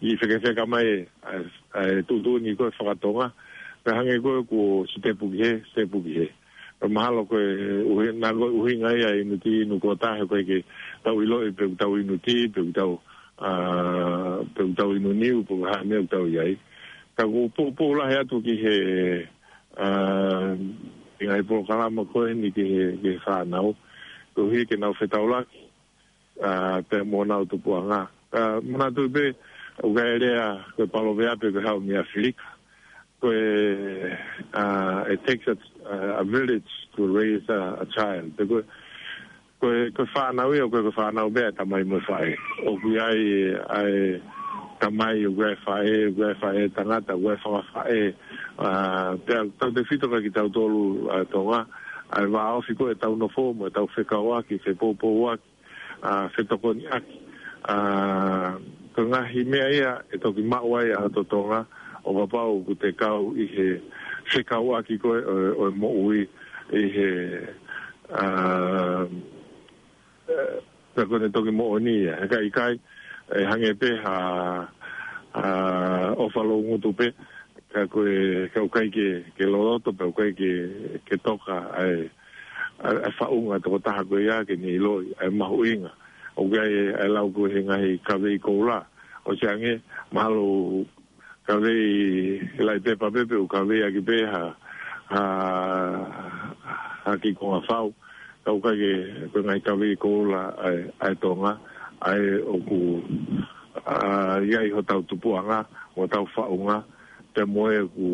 ʻi fekefeka mai, ʻa, ʻa e tuʻutuʻuni ko ē faka-Tonga, pea hangē ko ē ʻoku sitepu ki hē, sitepu ki hē. Pea mahalo ko e ʻuhi-, naʻa ko e ʻuhinga ia ʻa e inu tī, inu kuota, he ʻoku ʻikai ke tau ʻiloʻi pe ʻoku tau inu tī, pe ʻoku tau, ʻa, pe ʻoku tau inu niu, pe ko e hā e meʻa ʻoku tau ʻi ai. Ka ʻoku ou poupou lahi atu ki he, ʻa, ʻi he ngaahi polokalama ko eni ki he, ki he fānau, koeʻuhi ke nau fetaulaki, ʻa, pea mo honau tupuʻanga. ʻA, manatu pē, ʻoku ʻi ai e lea, ko e paloveape ko e haʻu mei ʻAfilika. Ko e, ʻa, it takes a, a village to raise a, a child. Pe ko e, ko e, ko e fānau ia, ko e, ko e fānau pē ʻa e tamai mo e faʻē. ʻOku ʻi ai, ʻa e tamai, ʻoku ʻi ai e faʻē, ʻoku ʻi ai e faʻē tangata, ʻoku ʻi ai e fakafaʻē. ʻA, pea tautefito kia kitautolu, ʻa, Tonga, ʻa e vāofi ko ē ʻetau nofo mo ʻetau fekauʻaki, fepoupouaki, ʻa, fetokoniʻaki, ʻa, ko e ngaahi meʻa ia ʻe toki maʻu ai ʻa e totongi, ʻo kapau ʻoku te kau ʻi he fekauʻaki ko ē ʻo, ʻo e moʻui ʻi he, ʻa, ʻe, pea ko ʻene toki moʻoni ia. He ka ʻikai, ʻe hangē pē ha, ha ʻofa loungutu pē, ka ko e, ka ʻoku ʻikai ke, ke loloto, pea ʻoku ʻikai ke, ke toka ʻa e, ʻa e, ʻa e faʻunga tokotaha ko ia ke ne ʻiloʻi ʻa e mahuʻinga. ʻOku ʻi ai ʻa e lau ko ē he ngaahi kavei koula. ʻOsi ange, mahalo kavei laʻi pepa pē pe ʻoku kaveiʻaki pē ha, ha, ha kiʻi konga fau. Ka ʻoku ʻikai ke, ko e ngaahi kavei koula ʻa e, ʻa e Tonga, ʻa ē ʻoku, ʻa, ʻi ai hotau tupuʻanga, hotau faʻunga, pea mo ē ʻoku,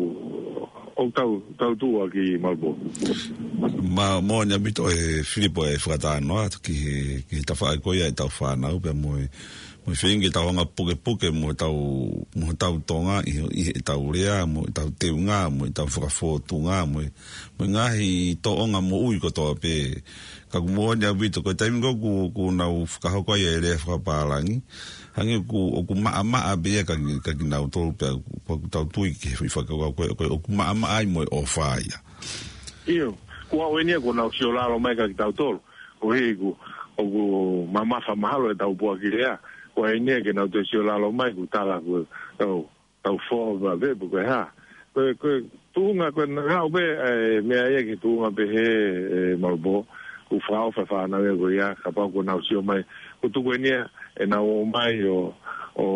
ʻoku tau, tau tuʻu ʻaki Malibō. Mā, moʻoni ʻaupito ʻe Filipo e fakatalanoa ki he, ki he tafaʻaki ko ia ʻetau fānau, pea mo e, mo e feinga ke tau hanga pukepuke mo ʻetau, mo ʻetau Tonga ʻi, ʻi heʻetau lea, mo ʻetau teunga, mo ʻetau fakafōtunga, mo e, mo e ngaahi tōʻonga moʻui kotoa pē. Ka ʻoku moʻoni ʻaupito, ko e taimi ko ē ʻoku, ʻoku nau fakahoko ai e lea fakapālangi, hangē ʻoku, ʻoku maʻamaʻa pē ia kia ki-, kia kinautolu pea ʻoku, ʻoku tau tui ki he foʻi fakakaukau ko ē, ko e ʻoku maʻamaʻa ai mo e ʻofa ia. ʻIo, ko e ʻuhinga ia ʻoku nau sio lalo mai kia kitautolu, koeʻuhi ʻoku, ʻoku mamafa mahalo ʻetau puaki lea, ko e ʻuhinga ia ke nau toe sio lalo mai, ʻoku tala ko e tau tau fō va ve, pe ko e hā. Ko e, ko e tuʻunga, ko e ngāue pē, ʻe, meʻa ia ki he tuʻunga pehē, ʻe, Malibō, ʻoku fakaʻofa e fānau ia ko ia, kapau ʻoku nau sio mai. ʻOku tuku eni ia, ʻenau ō mai ʻo, ʻo,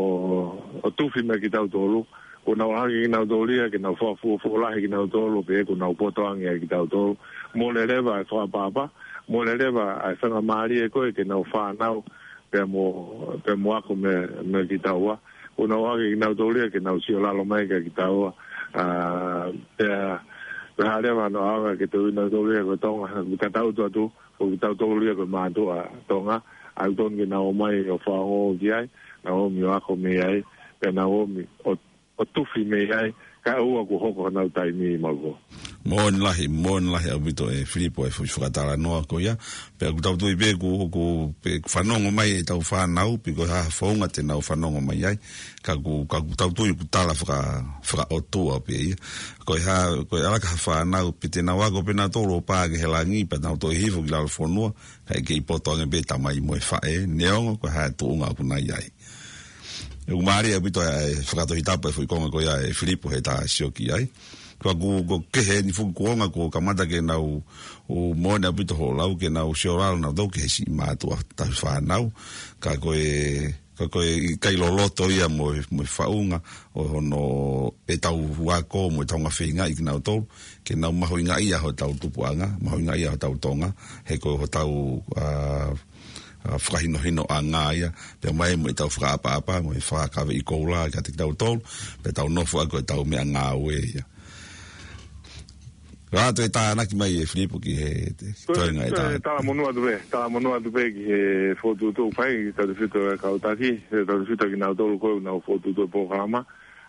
ʻo tufi mai kitautolu, ʻoku nau ʻohake kinautolu ia, ke nau fakafuofuolahi kinautolu, pe ʻoku nau poto ange ai kitautolu. Mole leva e fakaʻapaʻapa, mole leva e faingamālie ko ē, ke nau fānau, pea mo, pea mo ako mei, mei kitaua. ʻOku nau ʻohake kinautolu ia ke nau sio lalo mai kia kitaua. ʻA, pea, pea hā leva hano ʻaonga ke tui kinautolu ia ko e Tonga, ʻoku tatau atu, ʻoku kitautolu ia ko e mātuʻa Tonga, ʻoku totonu ke nau ō mai ʻo fakaongo ki ai, nau ōmi ʻo ako mei ai, pea nau ōmi ʻo, ʻo tufi mei ai, kae ʻoua kuo hoko honau taimi Malibō. Moʻoni lahi, moʻoni lahi ʻaupito ʻe Filipo e foʻi fakatalanoa ko ia. Pea ʻoku tau tui pē ʻoku, ʻoku pē fanongo mai ʻetau fānau, pe ko e hā ha founga te nau fanongo mai ai. Ka ʻoku, ka ʻoku tau tui ʻoku tala faka-, fakaʻotua pē ia. Ko e hā, ko e ʻalaka ha fānau, pe te nau ako pē nautolu ʻo pā ki he langi, pea nau toe hifo ki lalo fonua, kae kei poto ange pē tamai mo e faʻē, neongo ko e hā e tuʻunga ʻoku nau ʻi ai. ʻOku mālie ʻaupito e fakatohitapu e foʻi konga ko ia ʻe Filipo heʻeta sio ki ai. Ka ʻoku, ʻoku kehe ni fuʻu kuonga kuo kamata ke nau, ʻoku moʻoni ʻaupito hoʻo lau ke nau sio lalo nautolu ki he siʻi mātuʻa tauhi fānau. Ka ko e, ka ko e ʻikai loloto ia mo e, mo e faʻunga ʻo hono ʻetau ako mo ʻetau ngaahi feingaʻi kinautolu. Ke nau mahuʻingaʻia hotau tupuʻanga, mahuʻingaʻia hotau Tonga, he ko hotau, ā, ā, fakahinohinoʻanga ia, pea mai mo ʻetau fakaʻapaʻapa, mo e fakakaveʻi koula kiate kitautolu, pea tau nofo ʻaki ʻetau meʻangāue ia. Ka toe tānaki mai ʻe Filipo ki he te-, Toe, toenga e toe tā. Talamonū atu pē, talamonū atu pē ki he fokotuʻutuʻu fai, tautefito e kau taki, he tautefito kinautolu ko ē ʻoku nau fokotuʻutuʻu e polokalama,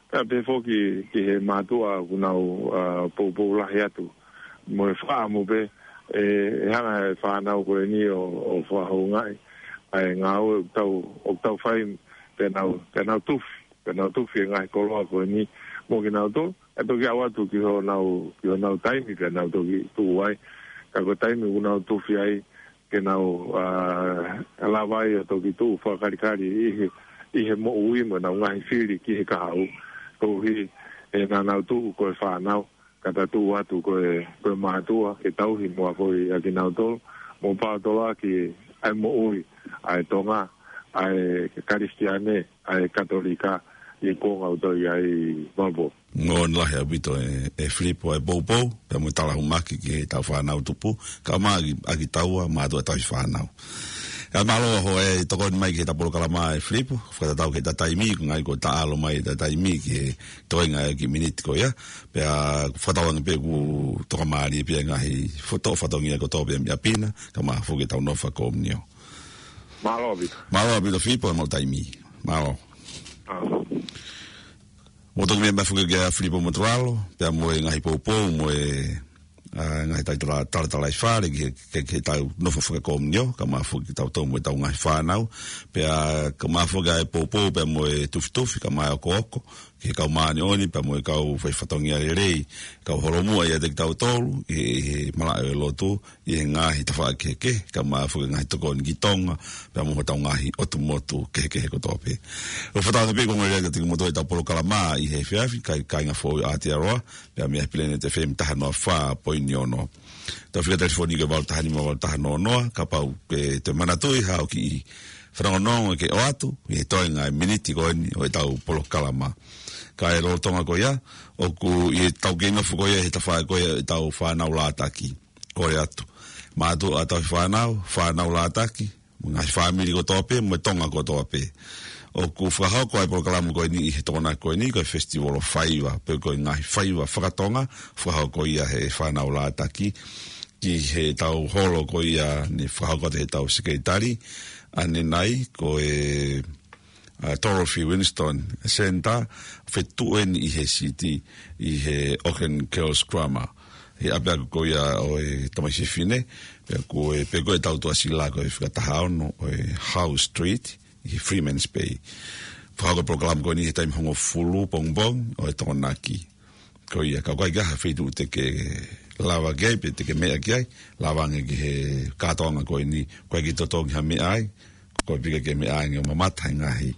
pea pehē foki ki he mātuʻa ʻoku nau, ā, poupou lahi atu. Mo e fakaʻamu pē, ē, ʻe hanga he fānau ko eni ʻo, ʻo fakahoungaʻi ʻa e ngāue ʻoku tau, ʻoku tau fai, pea nau, pea nau tufi, pea nau tufi e ngaahi koloa ko eni mo kinautolu, ʻe toki ʻoatu ki honau, ki honau taimi, pea nau toki tuʻu ai. Ka ko e taimi ʻoku nau tufi ai, ke nau, ā, lava ai ʻo toki tuʻu fakakalikali ʻi he, ʻi he moʻui mo ʻenau ngaahi fili ki he kahaʻu. Koeʻuhi ʻe naʻa nau tuʻu ko e fānau, ka ta tuʻu atu ko e, ko e mātuʻa, ke tauhi mo akoʻi ʻa kinautolu, mo paotoloaki ʻa e moʻui ʻa e Tonga, ʻa e Kalisitiane, ʻa e Katolika, ʻi he kuonga ʻoku tau ʻi ai, Malvo. Moʻoni lahi ʻaupito ʻe, ʻe Filipo e poupou, pea mo e talahumaki ki heʻetau fānau tupu, kae ʻumaʻā ʻa kitaua mātuʻa tauhi fānau. Kae mālō hoʻo tokoni mai ki heʻeta polokalama ʻe Filipo, fakatatau ki heʻeta taimi, ko e ngaahi ko e taʻalo mai ʻeta taimi ki he toenga e kiʻi miniti ko ia, pea fakatauange pē ʻoku tokamālie pē ngaahi foto, fatongia kotoa pē mei ʻapi na, kae ʻumaʻā foki ʻetau nofo fakakomiunio. Mālō ʻaupito. Mālō ʻaupito Filipo, e mau taimi. Mālō. Mālō. Mo toki meʻa mai foki kia Filipo Motuʻalo, pea mo e ngaahi poupou, mo e, ā, ngaahi taitala, talatalaifale, ki he, ki he, ki heʻetau nofo fakakomiunio, kae ʻumaʻā foki kitautolu mo ʻetau ngaahi fānau, pea kae ʻumaʻā foki ʻa e poupou, pea mo e tufitufi, kae ʻumaʻā e okooko, ki he kau māʻoniʻoni, pea mo e kau fai fatongia lelei, kau holomua ʻiate kitautolu, ʻi he, ʻi he malaʻe ʻo e lotu, ʻi he ngaahi tafaʻaki kehekehe, kae ʻumaʻā foki e ngaahi tokoni ki Tonga, pea mo hotau ngaahi ʻotu motu kehekehe kotoa pē. ʻOku fakatauange pē ko e ongo lea kiate kimoutolu ʻetau polokalama ʻi he efiafi, kai, kāinga foʻou ʻa Aotearoa, pea mei he Planet F M taha noa fā poini ono. Tau fika telefoni ko e valu taha nima valu taha noa noa, kapau ʻoku ke manatuʻi ha kiʻi fanongonongo ke ʻoatu, ʻi he toenga e miniti ko eni ʻo ʻetau polokalama. Kae lolotonga ko ia, ʻoku ʻi heʻetau kei nofo ko ia, he tafaʻaki ko ia ʻetau fānau lātaki. Kole atu. Mātuʻa tauhi fānau, fānau lātaki, mo e ngaahi fāmili kotoa pē, mo e Tonga kotoa pē. ʻOku fakahoko ʻa e polokalama ko eni ʻi he Tokonaki ko eni, ko e Festival ʻo Faiva, pe ko e ngaahi faiva fakatonga, fakahoko ia he fānau lātaki, ki heʻetau holo ko ia ne fakahoko atu heʻetau sekelitali, ʻanenai, ko e ā, Dorothy Winston Centre, fetuʻu eni ʻi he siti, ʻi he Auckland Girls Grammar. He ʻapiako ko ia ʻo e tamaiki fefine, pea ko e, pea ko e tau tuʻasila ko e fika taha ono ʻo e Howe Street, ʻi he Freeman's Bay. Fakahoko e polokalama ko eni he taimi hongofulu pongipongi ʻo e Tokonaki. Ko ia, ka ʻoku ʻikai ke ʻi ai ha feituʻu te ke lava ki ai, pe te ke meʻa ki ai, lava ange ki he kātoanga ko eni, ʻoku ʻikai ke totongi ha meʻa ai, ko e pika ke meʻa ange ʻo mamata he ngaahi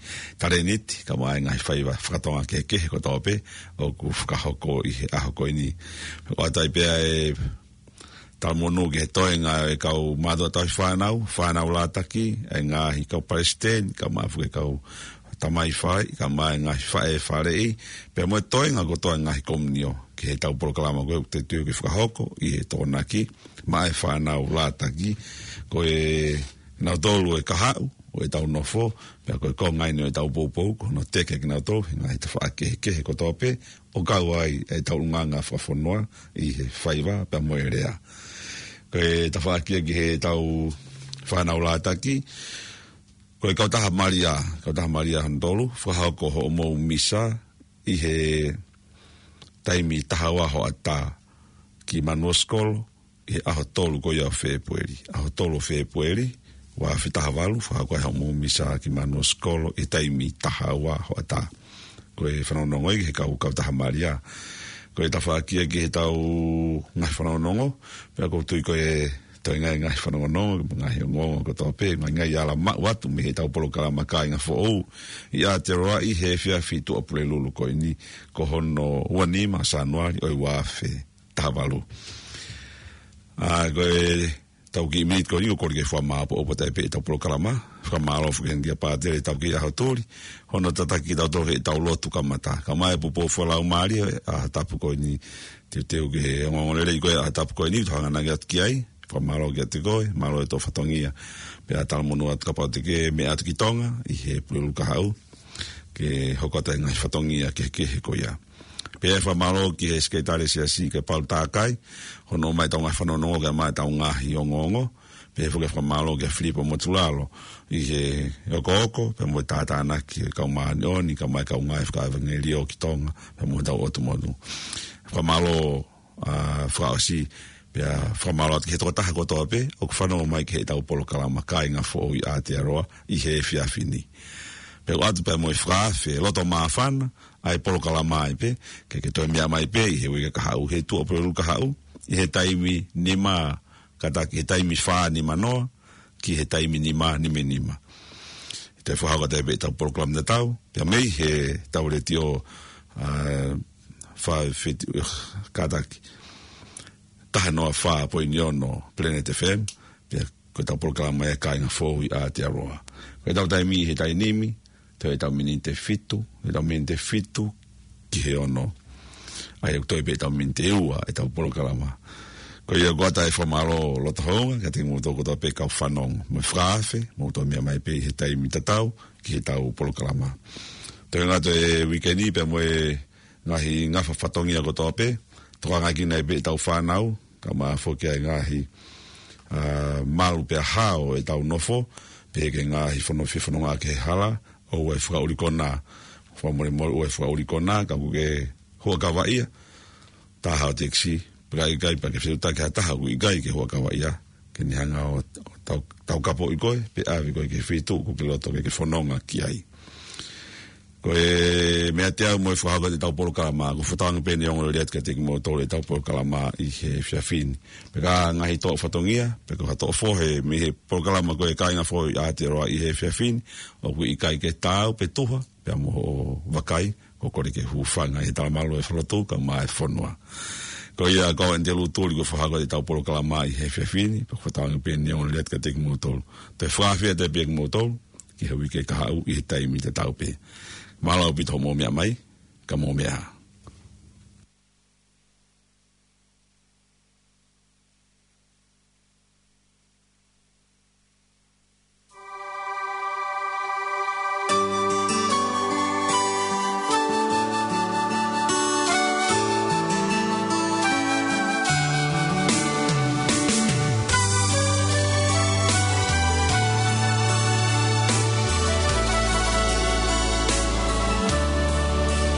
talēniti, kae ʻumaʻā e ngaahi faiva fakatonga kehekehe kotoa pē, ʻoku fakahoko ʻi he ʻaho ko eni. ʻOatu ai pē ʻa e talamonū ki he toenga e kau mātuʻa tauhi fānau, fānau lātaki, e ngaahi kau palesiteni, kae ʻumaʻā foki e kau tamai faleʻi, kae ʻumaʻā e ngaahi faʻē faleʻi, pea mo e toenga kotoa e ngaahi komiunio, ki heʻetau polokalama ko ē ʻoku te tui ke fakahoko, ʻi he Tokonaki, maʻa e fānau lātaki, ko e nautolu e kahaʻu ʻo ʻetau nofo, pea ko e konga eni ʻo ʻetau poupou, ko hono teke kinautolu, he ngaahi tafaʻaki kehekehe kotoa pē, ʻo kau ai ʻetau ʻulungaanga fakafonua ʻi he faiva pea mo e lea. Ko e tafaʻaki ia ki heʻetau fānau lātaki, ko e kautaha Malia, kautaha Malia hono tolu, fakahoko hoʻomou misa ʻi he taimi taha ua hoʻatā, ki Manuosikolo, ʻi he ʻaho tolu ko ia ʻo Fēpueli. ʻAho tolu ʻo Fēpueli, ua afe taha valu, fakahoko ai hoʻomou misa ki Manuosikolo, ʻi he taimi taha ua hoʻatā. Ko e fanongonongo ia ki he kau, kautaha Malia. Ko e tafaʻaki ia ki heʻetau ngaahi fanongonongo, pea ʻoku ou tui ko e toe ngaahi, ngaahi fanongonongo, ngaahi ongoongo kotoa pē, ngaahi, ngaahi ala maʻu atu mei heʻetau polokalama Kāinga Foʻou ʻi Aotearoa ʻi he efiafi Tuʻapulelulu ko eni, ko hono ua nima Sānuali ʻo e ua afe taha valu. ʻA, ko ʻetau kiʻi miniti ko eni ʻoku ou kole ke fakamāʻopoʻopo atu ai pē ʻetau polokalama. Fakamālō foki heni kia Pātele ʻetau kiʻi ʻaho tuli, hono tataki kitautolu heʻetau lotu kamata. Kae ʻumaʻā e poupou fakalaumālie ʻa e ʻaho tapu ko eni, teuteu ki he ongoongolelei ko ē ʻa e ʻaho tapu ko eni, ʻoku tau hanga ange atu ki ai. Fakamālō kiate koe, mālō e tō fatongia. Pea talamonū atu kapau te ke meʻa atu ki Tonga, ʻi he Pulelulu kahaʻu, ke hoko atu e ngaahi fatongia kehekehe ko ia. Pea fakamālō ki he Sekelitali Siasi ko Paul Takai, hono ʻomai ʻetau ngaahi fanongonongo kae ʻumaʻā ʻetau ngaahi ongoongo. Pea foki fakamālō kia Filipa Motulalo ʻi he okooko, pea mo e tātānaki e kau māʻoniʻoni, kae ʻumaʻā e kau ngāue fakaʻevangeliō ki Tonga, pea mo hotau ʻotu motu. Fakamālō, ʻa, fakaʻosi, pea fakamālō atu ki he tokotaha kotoa pē ʻoku fanongo mai ki heʻetau polokalama Kāinga Foʻou ʻi Aotearoa ʻi he efiafi ni. Pea ʻoatu pē mo e fakaafe loto māfana ʻa e polokalama ai pē, ke ke toe meʻa mai pē ʻi he uike kahaʻu, he Tuʻapulelulu kahaʻu, ʻi he taimi nima, kātaki he taimi fā nima noa, ki he taimi nima nima nima. Te fakahoko atu ai pē ʻetau polokalama tatau, pea mei heʻetau letiō, ʻa, fā fitu, kātaki, taha noa fā poini ono Planet F M, pea ko ʻetau polokalama ia Kāinga Foʻou ʻi Aotearoa. Ko ʻetau taimi he taimi ni, toe ʻetau miniti ʻe fitu, ʻetau miniti ʻe fitu ki he ono. ʻA ia ʻoku toe pē ʻetau miniti ʻe ua ʻetau polokalama. Ko ia ʻoku ʻoatu e fakamālō loto houngaʻia kiate kimoutolu kotoa pē kau fanongo. Mo e fakaafe, mou toe meʻa mai pē ʻi he taimi tatau ki heʻetau polokalama. Toe ngata e uike ni pea mo e ngaahi ngafa fatongia kotoa pē, tokangaʻi ki ai pē ʻetau fānau, kae ʻumaʻā foki ʻa e ngaahi, ʻa, malu pea hao ʻetau nofo, pehē ki he ngaahi fono, fefononga ki he hala, ʻoua ʻe fakaʻuli konā, fakamolemole ʻoua ʻe fakaʻuli konā, ka ʻoku ke huʻakavaʻia, tā hao tekisi, pea ʻikai pē ke fetuʻutaki ha taha ʻoku ʻikai ke huʻakavaʻia, ke ne hanga ʻo, ʻo tau, taukapoʻi koe, pe ʻave koe ki he feituʻu ʻoku ke loto ke ke fononga ki ai. Ko e meʻa te au mo e fakahoko atu ʻetau polokalama, ʻoku ou fakatauange pē ʻene ongoongolelei atu kiate kimoutolu ʻetau polokalama ʻi he efiafi ni. Pea ko e ngaahi toʻo fatongia, pe ko ha toʻo fohe mei he polokalama ko e Kāinga Foʻou ʻi Aotearoa ʻi he efiafi ni, ʻoku ʻikai ke taau pe tuha, pea mo hoʻo vakai, ʻoku ou kole ke hūfanga ʻi he talamalu ʻo e falelotu kae ʻumaʻā e fonua. Ko ia ko au ʻAnitelū Tuli ʻoku ou fakahoko atu ʻetau polokalama ʻi he efiafi ni, pea ʻoku ou fakatauange pē ʻene ongoongolelei atu kiate kimoutolu. Toe fakaafe atu pē kimoutolu, ki he uike kahaʻu ʻi he taimi tatau pē. Mālō ʻaupito hoʻomou meʻa mai, ka mou meʻa ā.